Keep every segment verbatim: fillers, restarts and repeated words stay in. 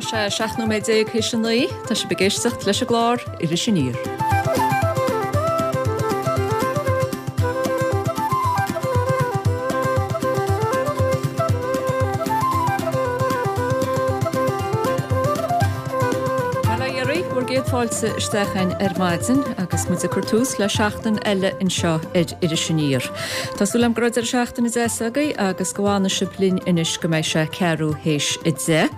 sé seacht nóiméad déag théis a naoi, tá sibh ag éisteacht leis an gclár Iris Aniar. Bail ó Dhia oraibh, bhur gcéad fáilte isteach againn ar maidin agus muid ag cur tús le seachtain eile anseo ar Iris Aniar. Tá súil agam go raibh deireadh seachtaine deas agaibh agus go bhfanfaidh sibh linn anois go mbeidh sé ceathrú théis a deich.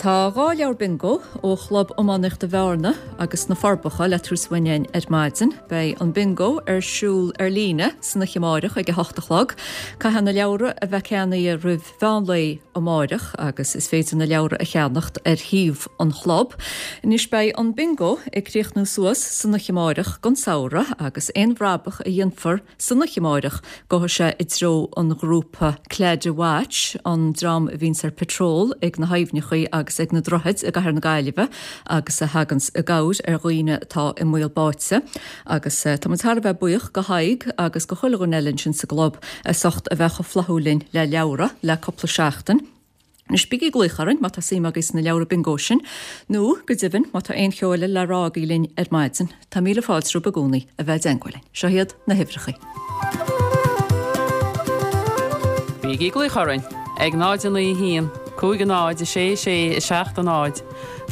Tá dhá leabhar bingo ó Chlub Iománaíochta Bhearna agus na Forbacha le tabhairt uainn ar maidin. Beidh an bingo ar siúl ar líne san oíche amárach ag a hocht a chlog. Caithfidh na leabhra a bheith ceannaithe roimh mheán lae amárach agus is féidir na leabhra a cheannacht ar shuíomh an chlub. Anois beidh an bingo ag críochnú suas san oíche amárach don samhradh agus aon bhrabach a dhéanfar san oíche amárach gabhfaidh sé i dtreo an ghrúpa Claddagh Watch, an dream a bhíonns ar patrol ag na haibhneacha agus ag na droichid i gCathair na Gaillimhe agus a thaganns i gcabhair ar dhaoine atá i mbaol báite. Agus tá muid thar a bheith buíoch go Tadhg agus go chuile dhuine eile ansin sa gclub as ucht a bheith chomh flaithiúil linn le leabhra le cúpla seachtain. Anois bígí ag glaoch orainn má tá suim agaibh sna leabhra bingo sin, nó go deimhin má tá aon cheo eile le rá agaibh linn ar maidin. Tá míle fáilte romhaibh i gcónaí a bheith i dteagmháil linn. Seo iad na huimhreacha. Bígí ag glaoch orainn ag náid a naoi haon, cúig a náid a sé sé a seacht a náid,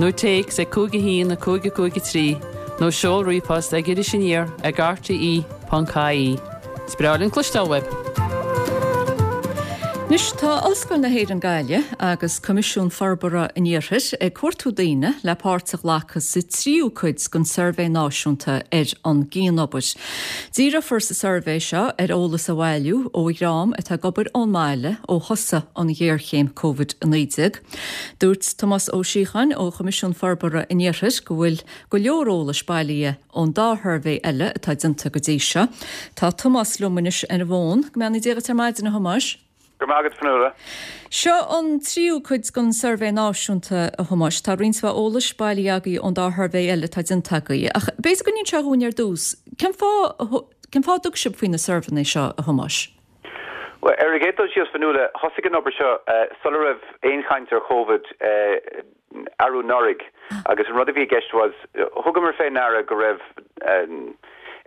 nó téacs ag cúig a haon a cúig a cúig a trí, nó seol ríomhphost ag iris aniar ag rte ponc ie. Is breá linn cloisteáil uaibh. Anois tá Ollscoil na hÉireann Gaillimh agus Coimisiún Forbartha an Iarthair ag cuartú daoine le páirt a ghlacadh sa tríú cuid den suirbhé náisiúnta ar an gcianobair. Díreofar sa suirbhé seo ar eolas a bhailiú ó dhream atá ag obair ón mbaile ó thosaigh an ghéarchéim Covid a naoi déag. Dúirt Tomás Ó Síocháin ó Choimisiún Forbartha an Iarthair go bhfuil go leor eolais bailithe ón dá shuirbhé eile atá déanta go dtí seo. Tá Tomás liom anois ar an bhfón. Go mbeannaí Dia duit ar maidin a Thomáis. Go maith agat Fionnuala. Seo an tríú cuid den suirbhé náisiúnta a Thomáis. Tá roinnt mhaith eolais bailithe agaibh ón dá shuirbhé eile atá déanta agaibh. Ach b'fhéidir go n-inseofá dhúinn ar dtús, cén fáth cén fáth a dtug sibh faoi na suirbhéanna seo a Thomáis? Well, ar an gcéad dul síos Fionnuala, thosaigh an obair seo sula raibh aon chaint ar Covid arú anuraidh agus an rud a bhí i gceist was thugamar faoi ndeara go raibh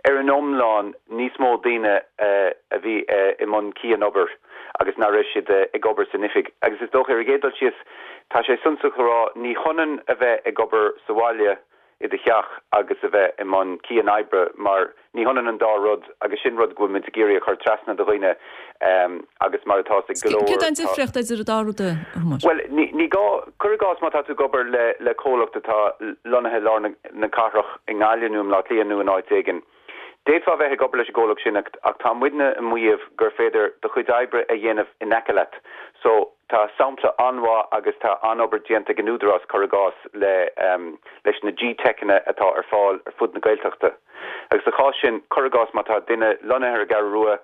ar an iomlán níos mó daoine a bhí i mbun cianobair agus nach raibh siad ag obair san oifig. Agus is dócha ar an gcéad dul síos tá sé suntasach a rá ní hionann a bheith ag obair sa bhaile i do theach agus a bheith i mbun cianoibre mar ní hionann an dá rud agus sin rud go bhfuil muid ag iarraidh a chur trasna do dhaoine agus mar atá ag go leor. Céard an difríocht idir an dá rud a Thomáis? Well, ní ní gá cuir i gcás má tá tú ag obair le le comhlacht atá lonnaithe lár na na cathrach i nGaillimh nó i mBleá Cliath nó in áit éigin. D'fhéadfá bheith ag obair leis an gcomhlacht sin ach tá muidne ag maíomh gur féidir do chuid oibre a dhéanamh in aice leat. So tá sampla an-mhaith agus tá an-obair déanta ag an Údarás cuir i gcás le leis na G-Techanna atá ar fáil ar fud na Gaeltachta. Agus sa chás sin cuir i gcás má tá duine lonnaithe ar an gCeathrú Rua,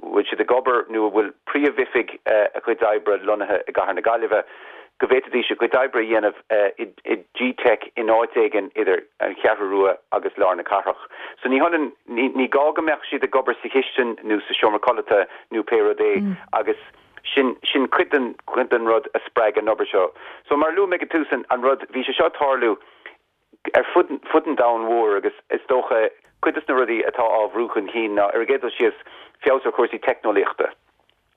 bhfuil siad ag obair nó a bhfuil príomhoifig a chuid oibre lonnaithe i gCathair na Gaillimhe, go bhféadfaidís a gcuid oibre a dhéanamh i G-Tech in áit éigin idir an Cheathrú Rua agus lár na cathrach. So ní hionann ní gá go mbeadh siad ag obair sa chistin nó sa seomra codlata nó pé rud é agus sin sin cuid den cuid den rud a spreag an obair seo. So mar luaigh mé ag tús an, an rud bhí sé seo tarlú ar fud fud an domhain mhór agus is dócha cuid de na rudaí atá á bhrú chun cinn ná ar an gcéad dul síos feabhas ar chúrsaí teicneolaíochta.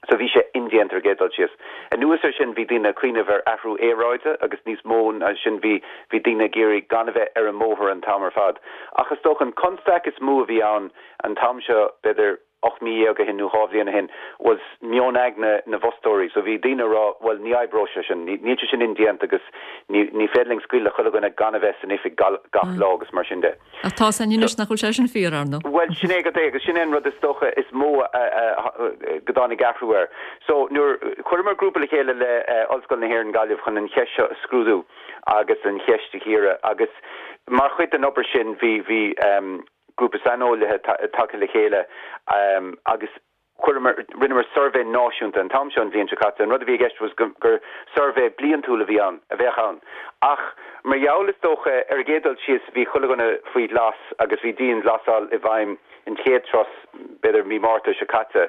So bhí sé indéanta ar an gcéad dul síos. Anuas ar sin bhí daoine ag cuimhneamh ar athrú aeráide agus níos mó ná sin bhí bhí daoine ag iarraidh gan a bheith ar an mbóthar an t-am ar fad. Ach is dócha an constaic is mó a bhí ann an t-am seo b'fhéidir ocht mí dhéag ó shin nó dhá bhliain ó shin was meon aigne na bhfostóirí. So bhí daoine rá well ní oibreoidh sé sin, níl sé sin indéanta agus ní ní féidir linn scaoileadh le chuile dhuine gan a bheith san oifig gach lá agus mar sin de. Ach tá san anois nach bhfuil sé sin fíor ar ndóigh. Well sin é go é agus sin é an rud is dócha is mó go dtáinig athrú air. So nuair chuireamar grúpa le chéile le Ollscoil na hÉireann Gaillimh chun an cheist seo a scrúdú agus an cheist a chíoradh agus mar chuid den obair sin bhí bhí um, grúpa saineolaithe tagtha le chéile um, agus chuireamar rinneamar suirbhé náisiúnta an t-am seo an bhliain seo caite an rud a bhí i gceist was gur, gur suirbhé bliantúil a bhí ann a bheadh ann. Ach mar gheall is dócha ar an gcéad dul síos bhí chuile dhuine faoi ghlas agus bhí dianghlasáil i bhfeidhm an chéad turas b'fhéidir mí Márta seo caite.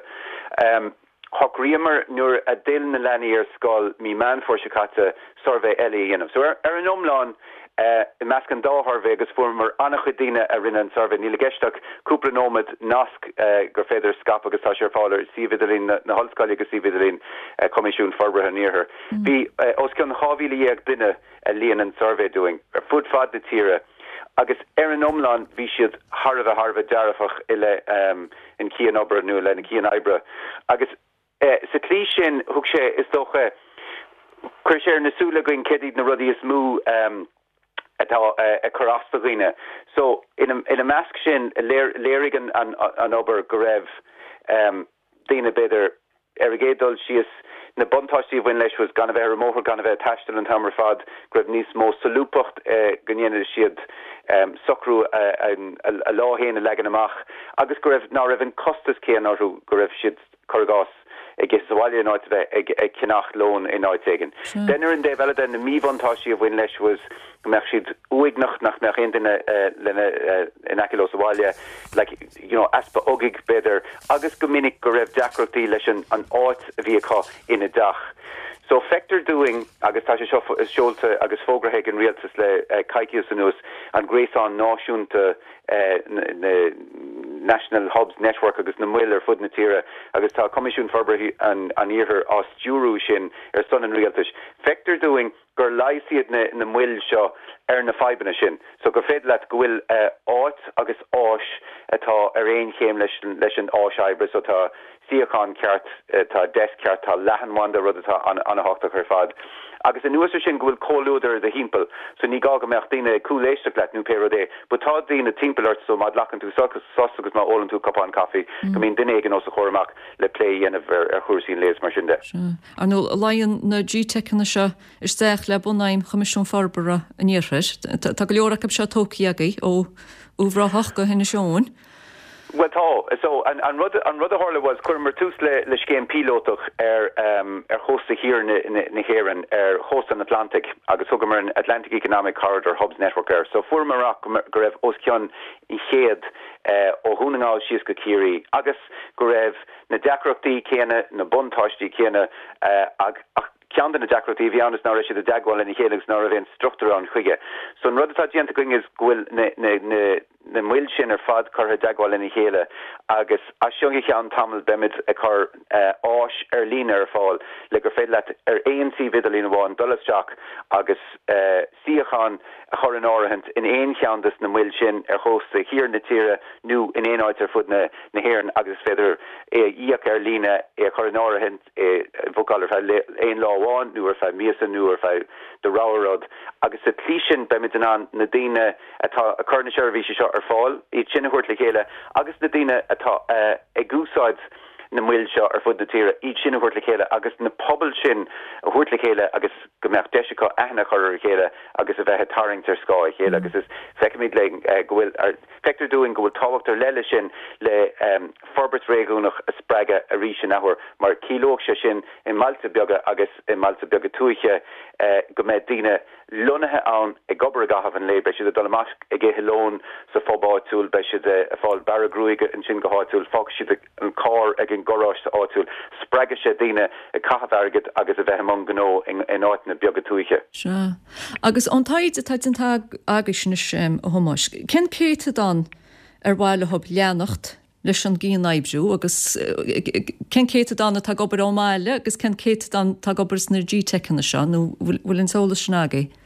Um, Shocraíomar nuair a d'fhill na leanaí ar scoil mí Meán Fómhair seo caite suirbhé eile a dhéanamh. So ar, ar an iomlán uh, i measc an dá shuirbhé agus fuaireamar an-chuid daoine a rinne an suirbhé níl i gceist ach cúpla nóiméad nasc uh, gur féidir scaipeadh agus tá sé ar fáil ar suíomh idirlín na, na hollscoile agus suíomh idirlín uh, Coimisiún Forbartha an Iarthair. Mm. Bhí uh, os cionn dhá mhíle dhéag duine a líon an suirbhé dúinn ar fud fad na tíre. Agus ar an iomlán bhí siad thar a bheith thar a bheith dearfach i leith um, an cianobair nó le na cianoibre. Agus eh, sa tslí sin thug sé is dócha chuir sé na súile againn céard iad na rudaí is mó um, atá uh, ag cur as do dhaoine. So ina, ina measc sin léir, léirigh an, an, an obair go raibh um, daoine b'fhéidir ar a gcéad dul síos na buntáistí a bhain leis was gan a bheith ar an mbóthar gan a bheith taisteal an t-am ar fad go raibh níos mó solúbthacht eh, go ndéanadh siad um, socrú uh, a, a lá féin a leagan amach agus go raibh ná raibh an costas céanna orthu go raibh siad cuir i gcás ag ithe sa bhaile in áit a bheith ag, ag ceannach lón in áit éigin. Den ar an dtaobh eile den na míbhuntáistí a bhain leis was go mbeadh siad uaigneach nach mbeadh aon duine uh, lena uh, in aice leo sa bhaile like, you know, easpa ugaigh b'fhéidir agus go minic go raibh deacrachtaí leis an, an áit a bhí acu ina dteach. So feictear dúinn agus tá sé seo seolta agus fógraithe ag an rialtas le uh, coicís anuas an gréasán náisiúnta uh, na National Hubs Network agus na moil ar fud na tíre agus tá Coimisiún Forbartha an, an Iarthair á stiúradh sin ar son an rialtais. Feictear dúinn gur leigheas iad na, na moil seo ar na fadhbanna sin. So gur féidir leat go bhfuil uh, áit agus áis atá ar aon chéim leis, leis an áis oibre so tá suíochán ceart uh, tá desk ceart tá leathanbhanda rud atá an-tábhachtach ar fad. Agus anuas air sin go bhfuil comhluadar i do thimpeall, so ní gá go mbeadh daoine cúléisteacht leat nó pé rud é, but tá daoine timpeall ort so má ghlacann tú sos agus má ólann tú cupán caife mm. go mbíonn duine éigin os do chomhair amach le plé a dhéanamh ar, ar chúrsaí an lae mar sin de. Ar ndóigh luíonn na G-Teiceanna seo isteach le bunaidhm Choimisiún Forbartha an Iarthair. Tá go leor acu seo tógtha agaibh ó Uíbh Ráthach go hInis Eoghain. Well tá so an, an rud an rud a tharla was chuireamar tús le le scéim píolótach ar um, ar chósta thiar na, na, na hÉireann ar chósta an Atlantic agus thugamar an Atlantic Economic Corridor Hubs Network air. So fuaireamar amach go raibh os cionn an chéad uh, ó Dhún na nGall síos go Ciarraí agus go raibh na deacrachtaí céanna na buntáistí céanna uh, ag, ach ceann de na deacrachtaí bhí ann is ná raibh siad i dteagmháil lena chéile agus ná raibh aon struchtúr ann chuige. So an rud atá déanta againn is go bhfuil na, na, na, na moil sin ar fad curtha i dteagmháil lena chéile agus as seo go ceann tamaill beimid ag cur uh, áis ar líne ar fáil le gur féidir leat ar aon suíomh idirlín amháin dul isteach agus uh, suíochán a chur in áirithint in aon cheann des na moil sin ar chósta thiar na tíre nó in aon áit ar fud na, na hÉireann agus féidir é íoc ar líne é chur in áirithint é bookáil ar feadh aon lá amháin nó ar feadh míosa nó ar feadh do rogha rud agus sa tslí sin beimid in ann na daoine atá ag cur na seirbhísí seo ar fáil iad sin a thabhairt le chéile agus na daoine atá uh, ag úsáid na moil seo ar fud na tíre iad sin a thabhairt le chéile agus na pobail sin a thabhairt le chéile agus go mbeadh deis acu aithne a chur ar a chéile agus a bheith ag tarraingt ar scáth a chéile agus is feicimid le uh, go bhfuil feictear dúinn go bhfuil tábhacht ar leith sin le um, forbairt réigiúnach a spreagadh arís in athuair mar ciallódh sé sin i mbailte beaga agus i mbailte beaga tuaithe uh, go mbeidh daoine lonnaithe ann ag obair i gcaitheamh an lae, beidh siad ag dul amach ag ithe lón sa phub áitiúil, beidh siad ag fáil bearradh gruaige ansin go háitiúil, fágfaidh siad an carr ag an garáiste áitiúil, spreagfaidh sé daoine ag caitheamh airgid agus a bheith i mbun gnó in, in áiteanna beaga tuaithe. Sea. Agus an taighde atá déanta agaibh anois um, a Thomáis, cén céatadán ar mhaith leo leanacht leis an gcianoibriú agus cén céatadán atá ag obair ón mbaile agus cén céatadán atá ag obair sna G-Teiceanna seo nó bhfuil an t-eolas sin agaibh?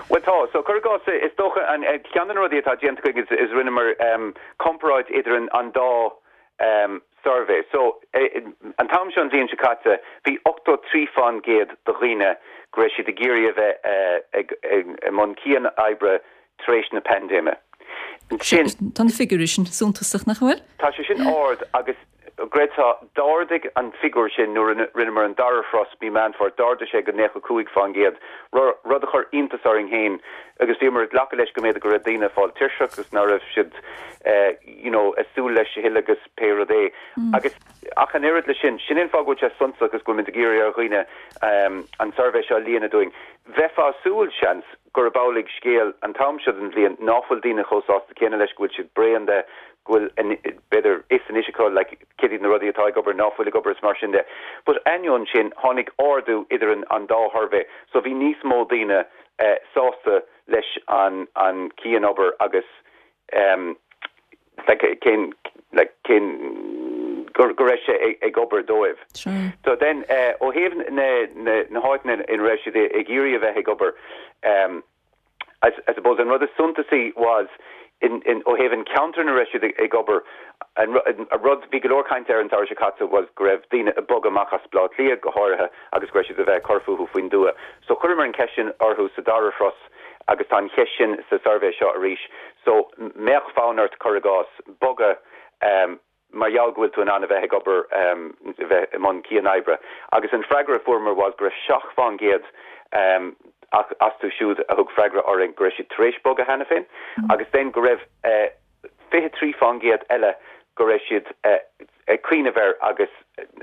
Well tá so cuir i gcás is dócha an ceann de na rudaí atá déanta againn is, is rinneamar um, comparáid idir an, an dá um, survey. So eh, an t-am seo an bhliain seo caite bhí ochtó trí faoin gcéad de dhaoine go raibh siad ag iarraidh a bheith eh, ag, ag, i mbun cianoibre tar éis na paindéime. Sin Tá na figiúirí sin suntasach nach bhfuil? Tá sé sin ard agus Greta d'ardaigh an figiúr sin nuair rinneamar an dara thuras mí Meán Fómhair d'ardaigh sé go nócha cúig faoin gcéad rud a chuir iontas orainn féin agus bhíomar ag glacadh leis go mb'fhéidir go raibh daoine ag fáil tuirseach agus ná raibh siad eh, you know, ag súil leis a thuilleadh agus pé rud é. Mm. Agus ach an oiread le sin sin an fáth go bhfuil sé suntasach agus go bhfuil ag iarraidh ar dhaoine um, an suirbhé seo a líonadh dúinn. Bheifeá ag súil seans gurb amhlaidh scéal an t-am seo den bhliain nach bhfuil daoine chomh sásta céanna leis go bhfuil siad bréan de go bhfuil b'fhéidir fhios anois acu like cad iad na rudaí atá ag obair ná fuil ag obair is mar sin de. But ainneoin sin tháinig ardú idir an, an dá shuirbhé, so bhí níos mó daoine uh, sásta leis an an cianobair agus um, like, cén like, cén go go raibh sé ag, ag obair dóibh. Sure. So then uh, ó thaobh na na na háiteanna ina raibh siad ag iarraidh a bheith ag obair um, I, I suppose an rud is suntasaí was in in ó thaobh an ceantar ina raibh siad ag obair an a rud bhí go leor caint ar an tsamhradh seo caite was go raibh daoine ag bogadh amach as Baile Átha Cliath go háirithe agus go raibh siad a bheith cur fúthu faoin dtuath. So chuireamar an cheist sin orthu sa dara thuras agus tá an cheist sin sa suirbhé seo arís. So mbeadh fonn ort cuir i gcás bogadh um, mar gheall go bhfuil tú in ann a bheith ag obair um, bheith i mbun cianoibre. Agus an freagra a fuaireamar was go raibh seacht faoin gcéad um, astu siúd a thug freagra orainn go raibh siad tar éis bogadh cheana féin, mm. agus den go raibh uh, fiche trí faoin gcéad eile go raibh siad uh, ag cuimhneamh air agus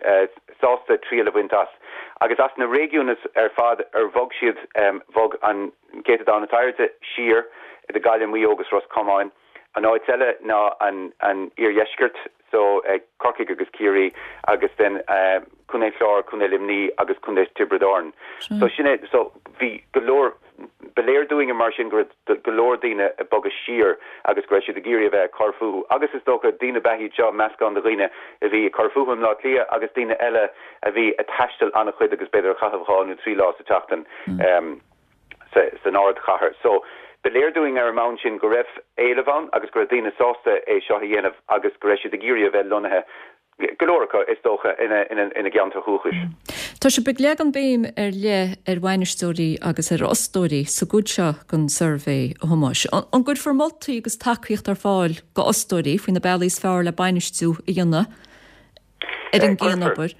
uh, sásta triail a bhaint as. Agus as na réigiúin ar fad ar bhog siad um, bhog an céatadán is airde siar idir Gaillimh Maigh Eo agus Ros Comáin. An áit eile ná an, an iardheisceart so uh, Corcaigh agus Ciarraí agus den uh, Contae Chláir, Contae Luimnigh agus Contae Tiobraid Árann. Sure. So sin é so bhí go leor ba léir dúinn mar sin go go leor daoine ag bogadh siar agus go raibh siad ag iarraidh a bheith cur fúthu. Agus is dócha daoine ba iad seo meascán de dhaoine a bhí cur fúthu i mBaile Átha Cliath agus daoine eile a bhí ag taisteal an-chuid agus b'fhéidir caitheamh dhá nó trí lá sa tseachtain mm. um, san ardchathair. So ba léir dúinn ar an mbonn sin go raibh éileamh ann agus go raibh daoine sásta é seo a dhéanamh agus go raibh siad ag iarraidh a bheith lonnaithe go leor acu is dócha ina ina ina gceantar dúchais. Tá sibh ag leagan béim ar leith ar bhainisteoirí agus ar fhostóirí sa gcuid seo den suirbhé a Thomáis. An gcuirfear moltaí agus tacaíocht ar fáil go fhostóirí faoi na bealaí is fearr le bainistiú a dhéanamh ar an gcianobair.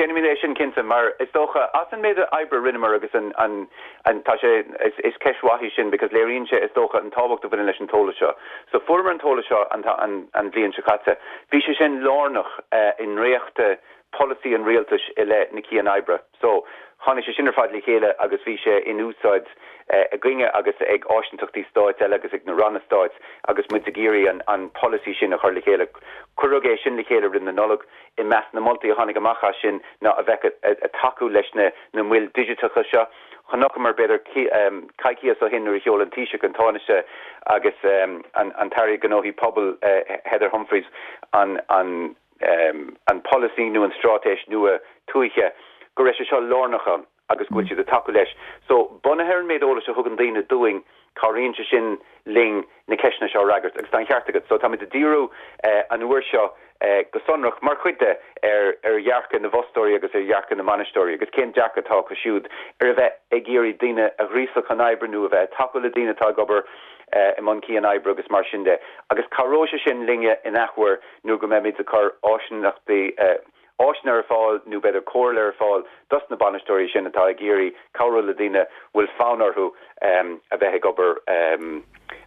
Déanfaimid é sin cinnte mar is dócha as an méid oibre a rinneamar agus an an an tá sé is, is ceist mhaith í sin because léiríonn sé is dócha an tábhacht a bhaineann leis an t-eolas seo. So fuaireamar an t-eolas seo an an, an bhliain seo caite. Bhí sé sin lárnach uh, i ndréachtú polasaí an rialtais i leith na cianoibre. So tháinig sé sin ar fad le chéile agus bhí sé in úsáid uh, againne agus ag áisíntachtaí stáit eile agus ag na ranna stáit agus muid ag iarraidh an, an polasaí sin a chur le chéile. Cuireadh é sin le chéile roimh na Nollag i measc na moltaí a tháinig amach as sin ná a bheith ag tacú leis na na moil digiteacha seo. Chonaiceamar b'fhéidir um, coicís ó shin nuair a sheol an Taoiseach an Tánaiste agus um, an, an tAire Gnóthaí Pobail uh, Heather Humphreys an, an, um, an polasaí nó an straitéis nua tuaithe go raibh sé seo lárnach ann agus go bhfuil siad ag tacú leis. So bunaithe ar an méid eolais a thugann daoine dúinn cabhraíonn sé sin linn na ceisteanna seo a fhreagairt agus tá an ceart agat. So tá ag díriú uh, an uair seo uh, go sonrach mar chuid de ar ar dhearcadh na bhfostóirí agus ar dhearcadh na mbainisteoirí agus cén dearcadh atá acu siúd ar a bheith ag iarraidh daoine a ghríosadh chun oibre nó a bheith tacú le daoine atá ag obair uh, i mbun cianoibre agus mar sin de. Agus cabhróidh sé sin linne in athuair nó go mbeimid ag cur áiseanna uh, áiseanna ar fáil nó b'fhéidir comhairle ar fáil dos na bainisteoirí sin atá ag iarraidh cabhrú le daoine bhfuil fonn orthu um, a bheith ag obair um,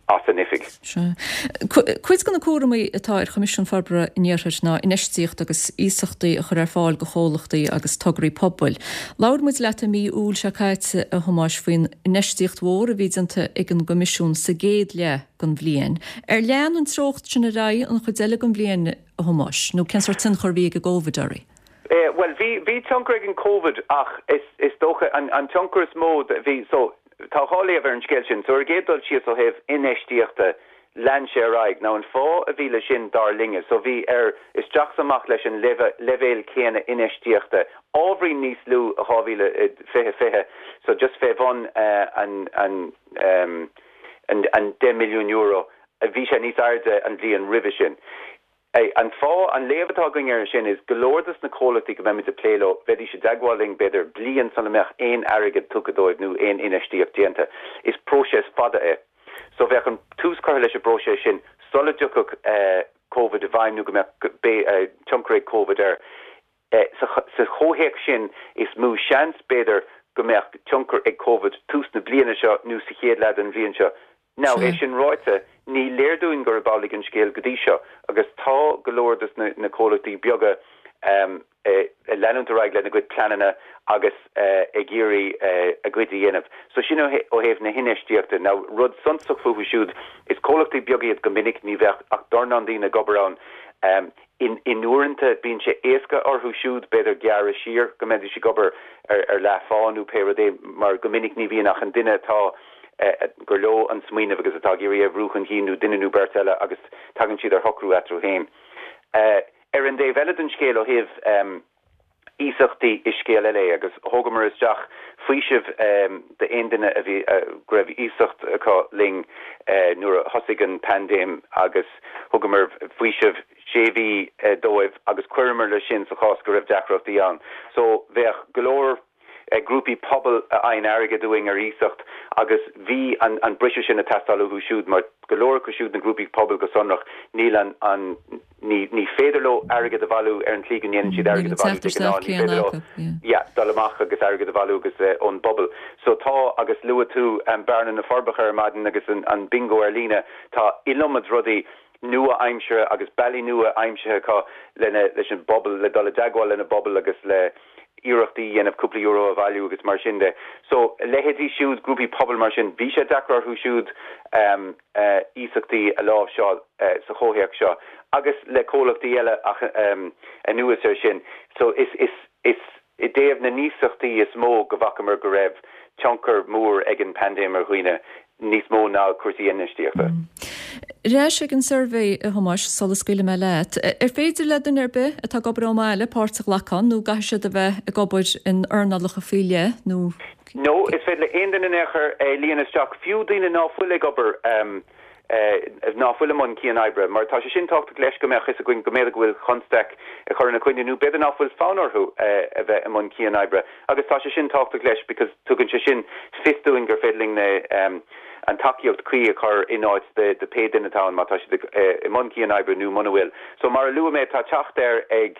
as an oifig. Cuid de na cúraimí atá ar Choimisiún Forbartha an Iarthair ná infheistíocht agus iasachtaí a chur ar fáil go chomhlachtaí agus tograí pobail. Labhair muid leat i mí Iúil seo caite a Thomáis faoin infheistíocht mhór a bhí déanta ag an gCoimisiún sa gcéad leath den bhliain. Ar lean an treocht sin ar aghaidh an chuid eile den bhliain a Thomáis, nó cén sórt tionchar a bhí ag an gCovid uirthi? Eh, well bhí bhí tionchar ag an COVID ach is is dócha an an tionchar is mó bhí so tá dhá léamh ar an scéal sin, so ar an gcéad dul síos ó thaobh infheistíochta lean sé ar aghaidh. Now an fáth a bhí le sin dar linne, so bhí ar isteach amach leis an leibhéal céanna infheistíochta ábhairín níos lú dhá mhíle fiche fiche, so just fé bhun uh, an an um, an, an deich milliún euro a bhí sé níos airde an bhliain roimhe sin. An fáth an léamh atá againn air sin is go leor des na comhlachtaí go mbeimid ag plé leo bheidís i dteagmháil linn b'fhéidir bliain sula mbeadh aon airgead tugtha dóibh nó aon infheistíocht déanta. Is próiseas fada é. So bheadh an tús curtha leis an bpróiseas sin sula dtiocfadh uh, COVID i bhfeidhm nó go mbeadh uh, tionchar ag COVID air. Uh, sa, sa chomhthéacs sin is mó seans b'fhéidir go mbeadh tionchar ag COVID tús na bliana seo nó sa chéad leath den bhliain seo. Now é sin ráite ní léir dúinn gurb amhlaidh an scéal go dtí seo agus tá go leor des na, na comhlachtaí beaga Leanúint ar aghaidh lena gcuid pleananna agus ag iarraidh a gcuid a dhéanamh. So sin ó thaobh na hinfheistíochta. Now rud suntasach fúthu siúd, is comhlachtaí beaga iad go minic, ní bheadh ach dornán daoine ag obair ann. In in uaireanta bíonn sé éasca orthu siúd b'fhéidir gearradh siar go mbeidís ag obair ar ar leathphá nó pé rud é mar go minic ní bhíonn ach an duine atá gur leo an smaoineamh agus atá ag iarraidh é a bhrú chun cinn nó duine nó beirt eile agus tagann siad ar shocrú eatarthu féin. Ar an dtaobh eile den scéal ó thaobh iasachtaí is scéal eile é agus thugamar isteach faoiseamh d'aon duine a bhí go raibh iasacht acu linn nuair a thosaigh an paindéim agus thugamar faoiseamh sé mhí dóibh agus chuireamar leis sin sa chás go raibh deacrachtaí ann. So bheadh go leor grúpaí pobail a fhaigheann airgead uainn ar iasacht agus bhí an an briseadh sin ag teastáil uathu siúd mar go leor acu siúd na grúpaí pobail go sonrach níl an an ní ní féidir leo airgead a bhailiú ar an tslí go ndéanann siad airgead a bhailiú de ghnáth ní féidir leo yeah dul amach agus airgead a bhailiú agus ón bpobal. So tá agus luaigh tú Bearna na Forbacha ar maidin agus an an bingo ar líne tá iliomad rudaí nua-aimseartha agus bealaí nua aimsithe acu lena leis an bpobal le dul i dteagmháil lena bpobal agus le iarrachtaí a dhéanamh cúpla euro a bhailiú agus mar sin de. So leithéidí siúd, grúpaí pobail mar sin, bhí sé deacair orthu siúd iasachtaí a láimhseáil sa chomhthéacs seo agus le comhlachtaí eile ach anuas air sin. So is is is i dtaobh na n-iasachtaí is mó go bhfacamar go raibh tionchar mór ag an bpaindéim ar dhaoine níos mó ná cúrsaí infheistíochta. Ar ais ag an suirbhé, a Thomáis, sula scaoilfidh mé leat, ar féidir le duine ar bith atá ag obair ón mbaile páirt a ghlacadh ann nó caithfidh siad a bheith ag obair in earnálacha faoi leith nó? No, is féidir le aon duine in aon chor é líonadh isteach, fiú daoine ná fuil ag obair ná fuil i mbun cian-oibre, mar tá sé sin tábhachtach leis go mbeadh fhios againn go mb'fhéidir go bhfuil constaic ag cur ina coinne nó b'fhéidir ná fuil fonn orthu a bheith i mbun cian-oibre agus tá sé sin tábhachtach leis because tugann sé sin fios dúinn gur féidir linn na an tacaíocht cuí a chur in áit de de pé duine atá ann má tá siad i mbun cian-oibre nó muna bhfuil. So mar a luaigh mé tá teacht air ag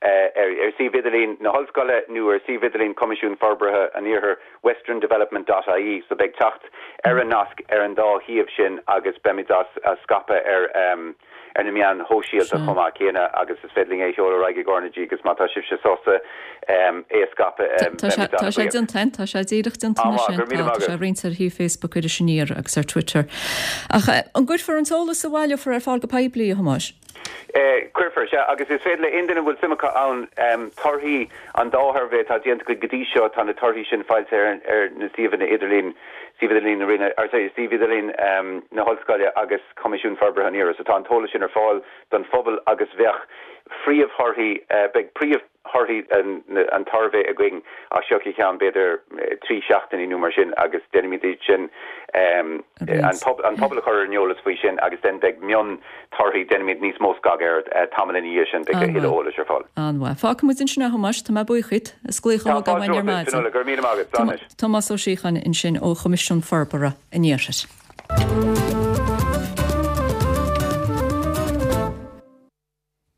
ar ar suíomh idirlín na hollscoile nó ar suíomh idirlín Coimisiún Forbartha an Iarthair, western development dot ie, so beidh teacht ar an nasc ar an dá shuíomh sin agus beimid á scaipeadh ar ar na meáin shóisialta chomh maith céanna agus is féidir linn é a sheoladh ar aghaidh ag RnaG agus má tá sibhse sásta é a scaipeadh beimid Tá sé déanta, tá sé díreach déanta anois. Tá sé roinnte ar shuíomh Facebook Iris Aniar agus ar Twitter. Ach an gcuirfear an t-eolas a bhaileofar ar fáil go poiblí, a Thomáis? Cuirfear, sea, agus is féidir le aon duine a bhfuil suim acu ann torthaí an dá shuirbhé atá déanta againn go dtí seo, tá na torthaí sin foilsithe ar ar na suíomhanna idirlín, suíomh idirlín na Roinne, or sorry, suíomh idirlín na hOllscoile agus Coimisiún Forbartha an Iarthair. So tá an t-eolas sin ar fáil don phobal agus bheadh phríomhthorthaí, beidh príomh. thorthaí an tsuirbhé againn as seo go ceann b'fhéidir trí seachtainí nó mar sin agus déanfaimid iad sin an pobal a chur ar an eolas faoi sin agus then beidh miontorthaí, déanfaimid níos mó scagadh air tamall ina dhiaidh sin, beidh a thuilleadh eolais ar fáil. An-mhaith. Fágfaidh muid ansin é a Thomáis, tá mé buíoch díot as glaoch a thógáil ar maidin. Tá fáilte romhat, Fionnuala, go raibh míle maith agat, slán anois. Tomás Ó Síocháin ansin ó Choimisiún Forbartha an Iarthair.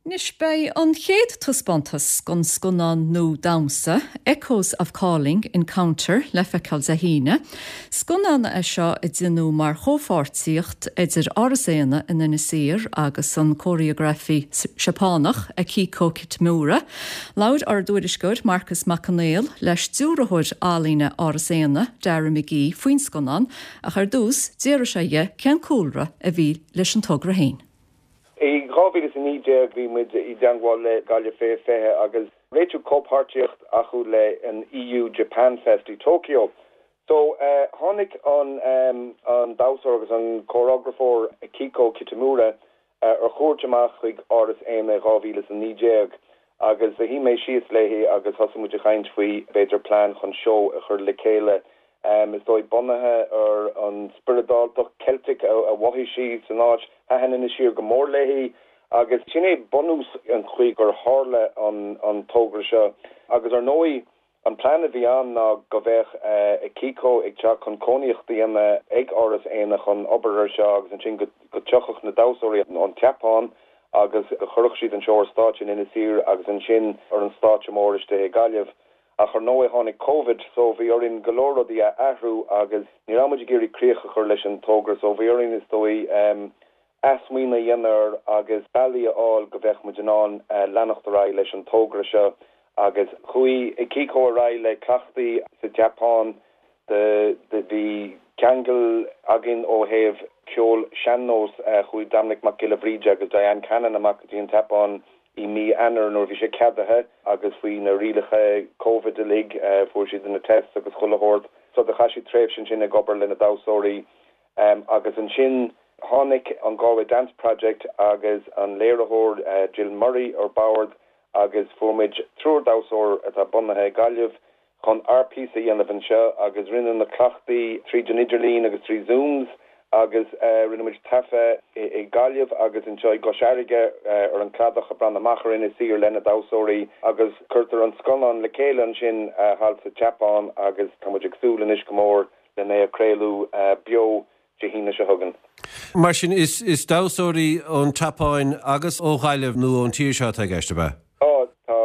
Anois beidh an chéad taispeántas den scannán nua damhsa, Echoes of Calling, Encounter, le feiceáil Dé hAoine. Scannán é seo a déanadh mar chomhpháirtíocht idir Áras Éanna in Inis Oírr agus an cóiréagrafaí Seapánach, Akiko Kitamura. Labhair ár dtuairisceoir Marcas Mac Conghail le stiúrthóir ealaíne Áras Éanna, Dara McGee, faoin scannán ach ar dtús d'fhiafraigh sé dhe cén cúlra a bhí leis an togra féin. I dhá mhíle is a naoi déag bhí muid i dteangmháil le Gaillimh Fiche Fiche agus réitiú comhpháirtíocht acu le an EU Japan Fest i Tokyo. So tháinig an an damhsóir agus an cóireografóir Akiko Kitamura ar chuairt amach chuig Áras Éanna i dhá mhíle is a naoi déag agus shuigh mé síos léi agus thosaigh muid ag caint faoi b'fhéidir plean chun seó a chur le chéile Is dóigh bunaithe ar an spioradáltacht Celtic a mhothaigh sí san áit. Thaitin Inis Oírr go mór léi agus sin é bunús an chaoi gur tharla an togra seo. Agus ar ndóigh an plean a bhí ann ná go bheadh Akiko ag teacht chun cónaíocht a dhéanamh ag Áras Éanna chun obair ar seo agus ansin go dtiocfadh na damhsóirí ón tSeapáin agus go chuirfeadh siad an seó ar stáitse in Inis Oírr agus ansin ar an stáitse mór istigh i Gaillimh. Ach ar ndóigh tháinig Covid so bhí orainn go leor rudaí a athrú agus ní raibh muid ag iarraidh críoch a chur leis an togra so bhí orainn is dóigh athsmaoineamh a dhéanamh air agus bealaí a fháil go bheadh muid in ann leanacht ar aghaidh leis an togra seo agus chuaigh Akiko ar aghaidh le cleachtaí sa tSeapáin bhí ceangal againn ó thaobh ceol sean-nós chuaigh Dominic Mac Giolla Bhríde agus Diane Cannon amach go dtí an tSeapáin i mí Eanáir nuair bhí sé ceadaithe agus faoi na rialacha Covid uilig fuair siad na tests agus chuile shórt so do chaith siad tréimhse ansin ag obair le na damhsóirí agus ansin tháinig an Galway Dance Project agus an léiritheoir uh, Jill Murray ar bord agus fuair muid triúr damhsóir atá bunaithe Gaillimh chun ár bpíosa a dhéanamh anseo agus rinne na cleachtaí tríd an idirlíon agus trí Zooms agus uh, rinne muid taifead i Gaillimh agus anseo i gCois Fharraige uh, ar an cladach a breathnú amach ar Inis Oírr lena damhsóirí agus cuirtear an scannán le chéile ansin uh, thall sa tSeapáin agus tá muid ag súil anois go mór lena é craoladh uh, beo Dé hAoine seo chugainn. Mar sin is, is damhsóirí ón tSeapáin agus ó Ghaillimh nó ón tír seo atá i gceist ab ea? Ó tá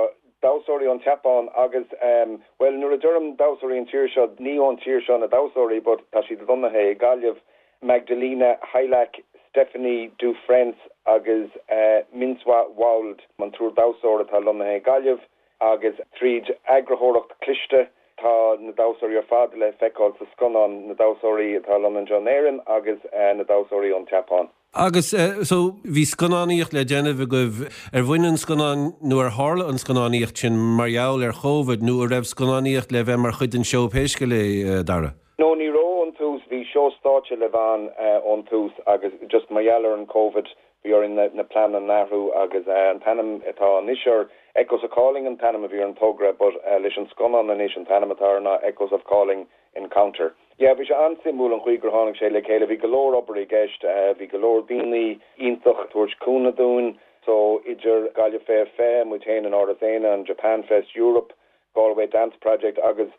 damhsóirí ón tSeapáin agus um, well nuair a deirim damhsóirí an tír seo ní ón tír seo na damhsóirí, but tá siad lonnaithe i Gaillimh Magdalena Heilach, Stephanie Dufrens agus uh, Minswa Wald an triúr damhsóir atá lonnaithe i Gaillimh agus tríd eagarthóireacht cliste tá na damhsóirí ar fad le feiceáil sa scannán na damhsóirí atá lonnaithe in Éirinn agus uh, na damhsóirí ón tSeapáin. Agus uh, so bhí scannánaíocht le déanamh agaibh ar bhain an scannán nó ar tharla an scannánaíocht sin mar gheall ar Covid nó an raibh scannánaíocht le bheith mar chuid den seó pé scéal é uh, Dara. No ní raibh ón tús bhí seó stáitse le bheith uh, ón tús agus just mar gheall ar an COVID bhí orainn na, na pleananna a athrú agus uh, an t-ainm atá anois ar Echoes of Calling an t-ainm a bhí an togra, but uh, leis an scannán anois an t-ainm atá ná Echoes of Calling Encounter. Ja, bhí sé an-suimiúil an chaoi gur tháinig sé le chéile bhí go leor obair i gceist, uh, bhí go leor daoine iontach ag tabhairt cúnamh dúinn, so idir Gaillimh Fiche Fiche muid féin in Áras Éanna an Japan Fest Europe, Galway Dance Project agus